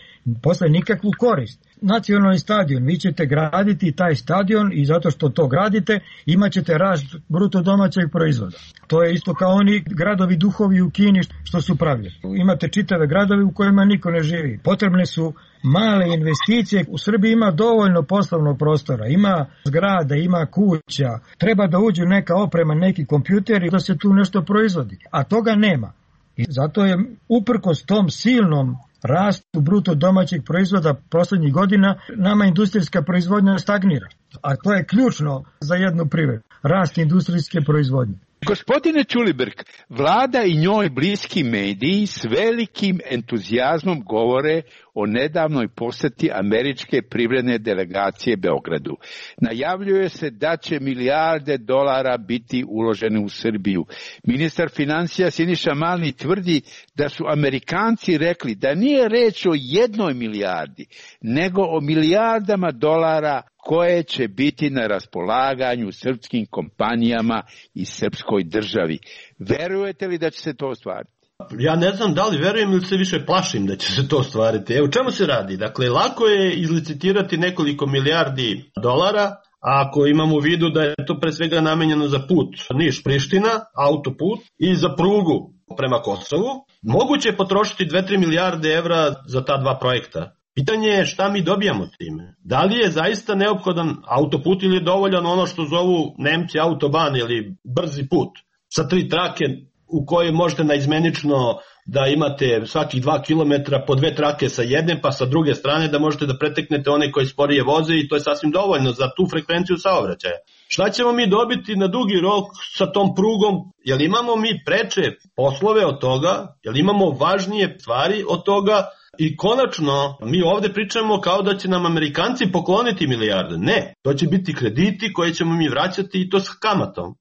posle nikakvu korist. Nacionalni stadion, vi ćete graditi taj stadion i zato što to gradite imat ćete rast bruto domaćeg proizvoda. To je isto kao oni gradovi duhovi u Kini što su pravljeni. Imate čitave gradovi u kojima niko ne živi. Potrebne su male investicije. U Srbiji ima dovoljno poslovnog prostora, ima zgrada, ima kuća. Treba da uđu neka oprema, neki kompjuteri da se tu nešto proizvodi. A toga nema. I zato je uprkos tom silnom rastu bruto domaćeg proizvoda poslednjih godina nama industrijska proizvodnja stagnira. A to je ključno za jednu privredu. Rast industrijske proizvodnje. Gospodine Ćulibrk, vlada i njoj bliski mediji s velikim entuzijazmom govore o nedavnoj poseti američke privredne delegacije Beogradu. Najavljuje se da će milijarde dolara biti uložene u Srbiju. Ministar financija Siniša Mali tvrdi da su Amerikanci rekli da nije reč o 1 milijardi, nego o milijardama dolara koje će biti na raspolaganju srpskim kompanijama i srpskoj državi. Verujete li da će se to ostvariti? Ja ne znam da li verujem ili se više plašim da će se to ostvariti. Evo, čemu se radi? Dakle, lako je izlicitirati nekoliko milijardi dolara, a ako imamo u vidu da je to pre svega namenjeno za put Niš-Priština, autoput, i za prugu prema Kosovu, moguće je potrošiti 2-3 milijarde evra za ta dva projekta. Pitanje je šta mi dobijamo time. Da li je zaista neophodan autoput ili je dovoljan ono što zovu Nemci autoban ili brzi put sa 3 trake u kojoj možete naizmenično da imate svakih 2 km po 2 trake sa jedne pa sa druge strane da možete da preteknete one koji sporije voze i to je sasvim dovoljno za tu frekvenciju saobraćaja. Šta ćemo mi dobiti na dugi rok sa tom prugom? Jel imamo mi preče poslove od toga? Jel imamo važnije stvari od toga? I konačno, mi ovde pričamo kao da će nam Amerikanci pokloniti milijarde. Ne, to će biti krediti koje ćemo mi vraćati i to s kamatom.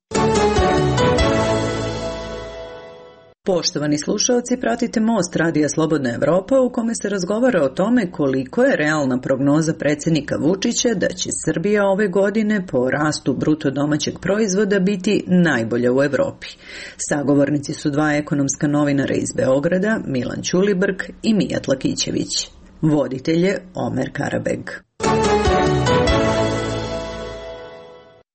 Poštovani slušalci, pratite Most Radija Slobodna Evropa u kome se razgovara o tome koliko je realna prognoza predsjednika Vučića da će Srbija ove godine po rastu bruto domaćeg proizvoda biti najbolja u Evropi. Sagovornici su dva ekonomska novinara iz Beograda, Milan Ćulibrk i Mijat Lakićević. Voditelj je Omer Karabeg.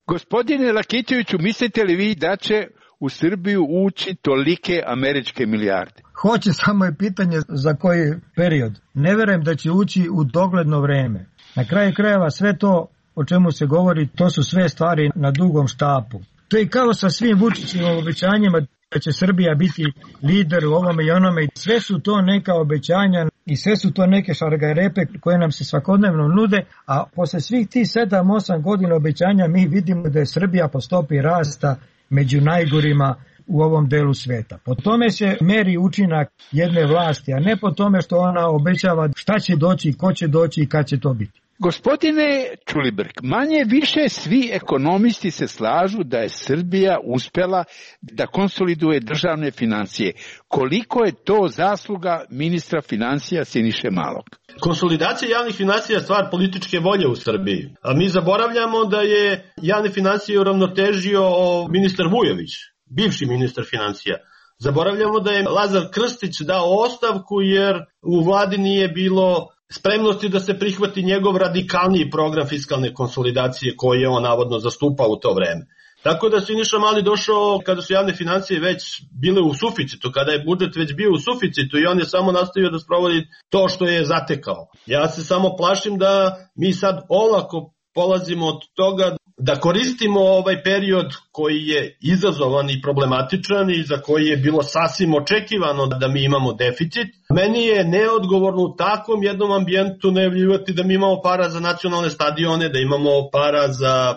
Gospodine Lakićeviću, mislite li vi da će u Srbiju ući tolike američke milijarde? Hoće, samo je pitanje za koji period. Ne verujem da će ući u dogledno vreme. Na kraju krajeva sve to o čemu se govori, to su sve stvari na dugom štapu. To je kao sa svim Vučićevim obećanjima da će Srbija biti lider u ovome i onome. Sve su to neka obećanja i sve su to neke šargarepe koje nam se svakodnevno nude, a posle svih tih 7-8 godina obećanja mi vidimo da je Srbija po stopi rasta među najgorima u ovom delu sveta. Po tome se meri učinak jedne vlasti, a ne po tome što ona obećava šta će doći, ko će doći i kad će to biti. Gospodine Ćulibrk, manje više svi ekonomisti se slažu da je Srbija uspela da konsoliduje državne financije. Koliko je to zasluga ministra financija Siniše Malog? Konsolidacija javnih financija je stvar političke volje u Srbiji. A mi zaboravljamo da je javne financije uravnotežio ministar Vujović, bivši ministar financija. Zaboravljamo da je Lazar Krstić dao ostavku jer u vladi nije bilo spremnosti da se prihvati njegov radikalniji program fiskalne konsolidacije koji je on navodno zastupao u to vreme. Tako da Siniša Mali došao kada su javne financije već bile u suficitu, kada je budžet već bio u suficitu i on je samo nastavio da sprovodi to što je zatekao. Ja se samo plašim da mi sad olako polazimo od toga da koristimo ovaj period koji je izazovan i problematičan i za koji je bilo sasvim očekivano da mi imamo deficit. Meni je neodgovorno u takvom jednom ambijentu najavljivati da mi imamo para za nacionalne stadione, da imamo para za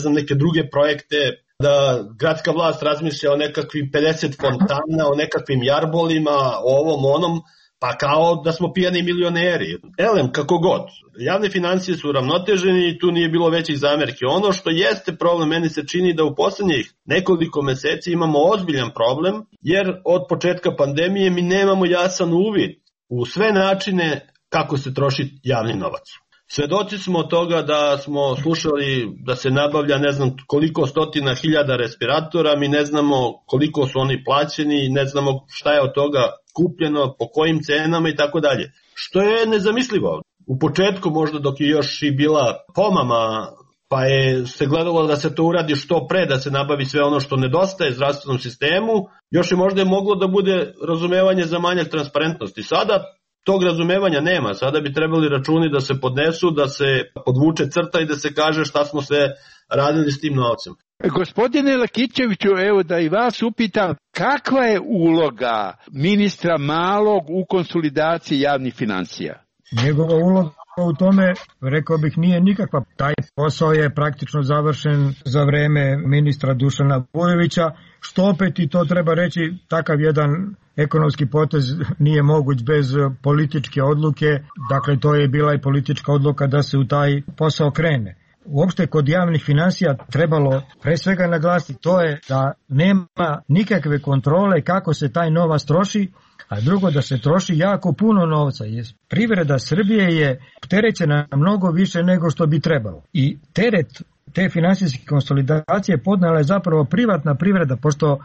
neke druge projekte, da gradska vlast razmišlja o nekakvim 50 fontana, o nekakvim jarbolima, o ovom onom, pa kao da smo pijani milioneri. Elem, kako god. Javne financije su uravnoteženi i tu nije bilo većih zamerki. Ono što jeste problem, meni se čini da u poslednjih nekoliko meseci imamo ozbiljan problem, jer od početka pandemije mi nemamo jasan uvid u sve načine kako se troši javni novac. Svedoci smo od toga da smo slušali da se nabavlja ne znam koliko stotina hiljada respiratora, mi ne znamo koliko su oni plaćeni, ne znamo šta je od toga kupljeno, po kojim cenama i tako dalje. Što je nezamislivo. U početku možda dok je još i bila pomama, pa je se gledalo da se to uradi što pre, da se nabavi sve ono što nedostaje zdravstvenom sistemu, još je možda moglo da bude razumevanje za manjak transparentnosti. Sada tog razumevanja nema, sada bi trebali računi da se podnesu, da se podvuče crta i da se kaže šta smo sve radili s tim novcem. Gospodine Lakićeviću, evo da i vas upitam, kakva je uloga ministra Malog u konsolidaciji javnih financija? Njegova uloga u tome, rekao bih, nije nikakva. Taj posao je praktično završen za vreme ministra Dušana Vujovića, što opet, i to treba reći, takav jedan ekonomski potez nije moguć bez političke odluke, dakle to je bila i politička odluka da se u taj posao krene. Uopšte kod javnih financija trebalo pre svega naglasiti to je da nema nikakve kontrole kako se taj novac troši, a drugo da se troši jako puno novca. Privreda Srbije je opterećena mnogo više nego što bi trebalo. I teret te finansijske konsolidacije podnela je zapravo privatna privreda, pošto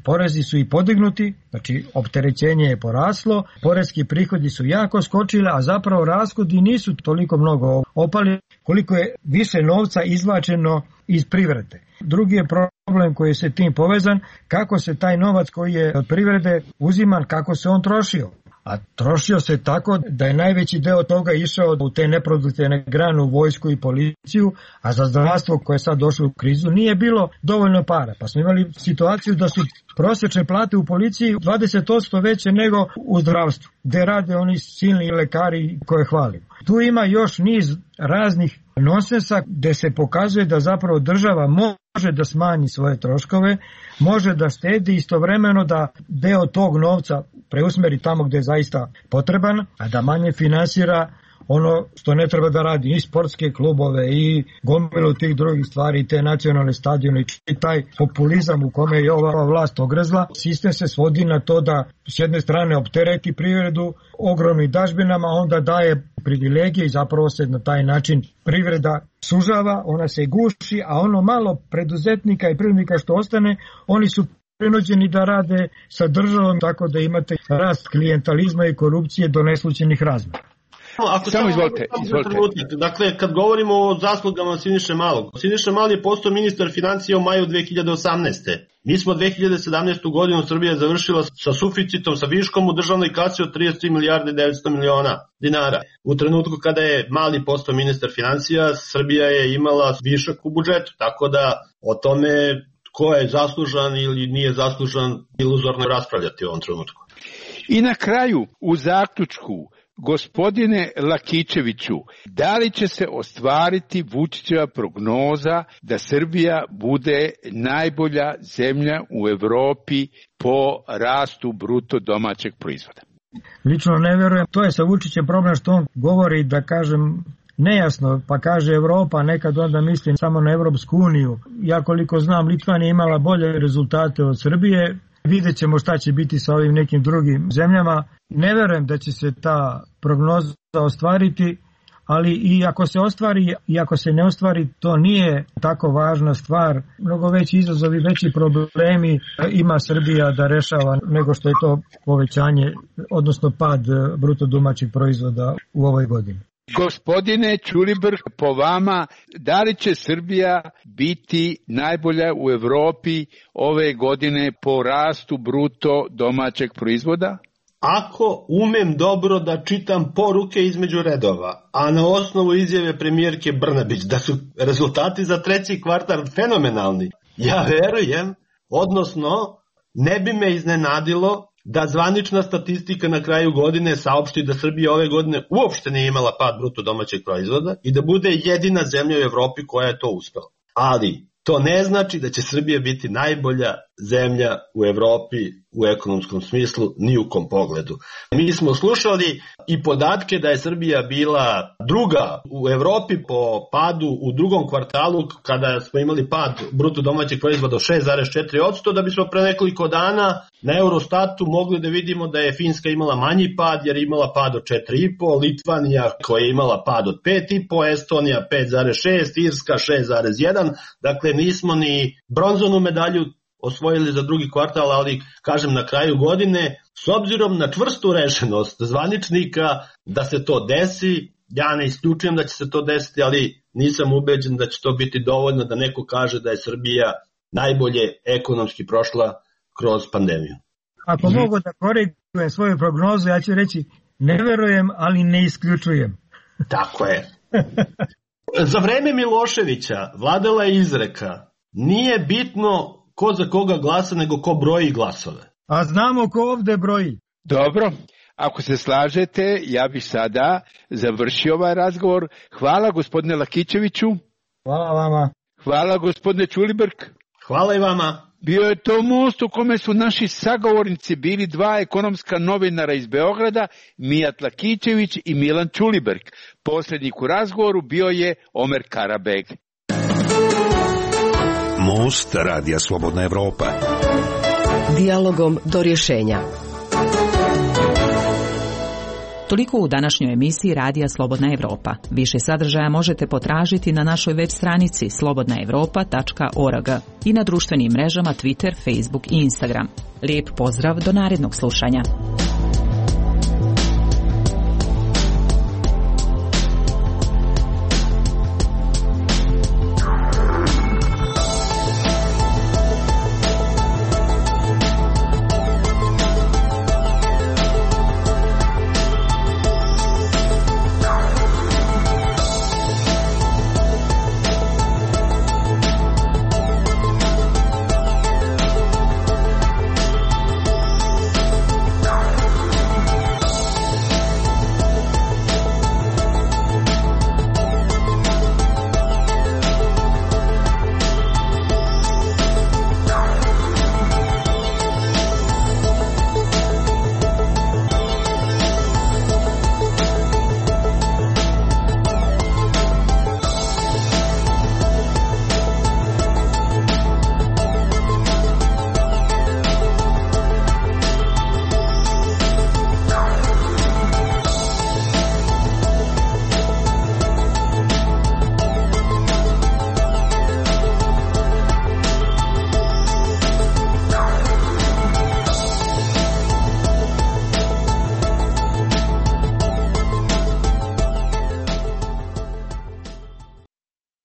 porezi su i podignuti, znači opterećenje je poraslo, poreski prihodi su jako skočili, a zapravo rashodi nisu toliko mnogo opali koliko je više novca izvlačeno iz privrede. Drugi je problem koji je se tim povezan, kako se taj novac koji je od privrede uziman, kako se on trošio. A trošio se tako da je najveći deo toga išao u te neproduktivne grane, u vojsku i policiju, a za zdravstvo koje je sad došlo u krizu nije bilo dovoljno para. Pa smo imali situaciju da su prosječne plate u policiji 20% veće nego u zdravstvu, gde rade oni silni lekari koje hvalimo. Tu ima još niz raznih nonsensa gde se pokazuje da zapravo država može da smanji svoje troškove, može da štedi istovremeno da deo tog novca preusmeri tamo gde je zaista potreban, a da manje finansira ono što ne treba da radi, i sportske klubove i gomilu tih drugih stvari, i te nacionalne stadione, i taj populizam u kome je ova vlast ogrezla. Sistem se svodi na to da s jedne strane optereti privredu ogromnim dažbinama, onda daje privilegije i zapravo se na taj način privreda sužava, ona se guši, a ono malo preduzetnika i privrednika što ostane, oni su prinuđeni da rade sa državom, tako da imate rast klijentalizma i korupcije do neslućenih razmera. Samo izvolite. Dakle, kad govorimo o zaslugama Siniše Malog, Siniša Mali je postao ministar financija u maju 2018. Mi smo 2017. godinu Srbija završila sa suficitom, sa viškom u državnoj kasi od 33 milijarde 900 miliona dinara. U trenutku kada je Mali postao ministar financija, Srbija je imala višak u budžetu, tako da o tome ko je zaslužan ili nije zaslužan, iluzorno raspravljati u ovom trenutku. I na kraju, u zaključku, gospodine Lakićeviću, da li će se ostvariti Vučićeva prognoza da Srbija bude najbolja zemlja u Evropi po rastu bruto domaćeg proizvoda? Lično ne verujem. To je sa Vučićem problem što on govori, da kažem, nejasno, pa kaže Evropa, nekad onda mislim samo na Evropsku uniju. Ja koliko znam, Litvanija imala bolje rezultate od Srbije. Vidjet ćemo šta će biti sa ovim nekim drugim zemljama. Ne verujem da će se ta prognoza ostvariti, ali i ako se ostvari i ako se ne ostvari, to nije tako važna stvar. Mnogo veći izazovi, veći problemi ima Srbija da rešava nego što je to povećanje, odnosno pad bruto domaćeg proizvoda u ovoj godini. Gospodine Ćulibrk, po vama, da li će Srbija biti najbolja u Evropi ove godine po rastu bruto domaćeg proizvoda? Ako umem dobro da čitam poruke između redova, a na osnovu izjave premijerke Brnabić da su rezultati za treći kvartal fenomenalni, ja verujem, odnosno ne bi me iznenadilo da zvanična statistika na kraju godine saopšti da Srbija ove godine uopšte nije imala pad bruto domaćeg proizvoda i da bude jedina zemlja u Evropi koja je to uspela. Ali to ne znači da će Srbija biti najbolja zemlja u Evropi u ekonomskom smislu ni u kom pogledu. Mi smo slušali i podatke da je Srbija bila druga u Evropi po padu u drugom kvartalu kada smo imali pad bruto domaćeg proizvoda od 6,4%, da bismo pre nekoliko dana na Eurostatu mogli da vidimo da je Finska imala manji pad jer je imala pad od 4,5%, Litvanija koja je imala pad od 5,5%, Estonija 5,6%, Irska 6,1%, dakle nismo ni bronzanu medalju osvojili za drugi kvartal, ali kažem na kraju godine, s obzirom na čvrstu rešenost zvaničnika da se to desi, ja ne isključujem da će se to desiti, ali nisam ubeđen da će to biti dovoljno da neko kaže da je Srbija najbolje ekonomski prošla kroz pandemiju. Ako mogu da korigujem svoju prognozu, ja ću reći ne verujem, ali ne isključujem. Tako je. Za vreme Miloševića vladala je izreka, nije bitno ko za koga glasa, nego ko broji glasove. A znamo ko ovde broji. Dobro, ako se slažete, ja bih sada završio ovaj razgovor. Hvala gospodine Lakićeviću. Hvala vama. Hvala gospodine Ćulibrk. Hvala i vama. Bio je to most u kome su naši sagovornici bili dva ekonomska novinara iz Beograda, Mijat Lakićević i Milan Ćulibrk. Posrednik u razgovoru bio je Omer Karabeg. Most Radija Slobodna Evropa. Dijalogom do rješenja. Toliko u današnjoj emisiji Radija Slobodna Evropa. Više sadržaja možete potražiti na našoj web stranici slobodnaevropa.org i na društvenim mrežama Twitter, Facebook i Instagram. Lijep pozdrav do narednog slušanja.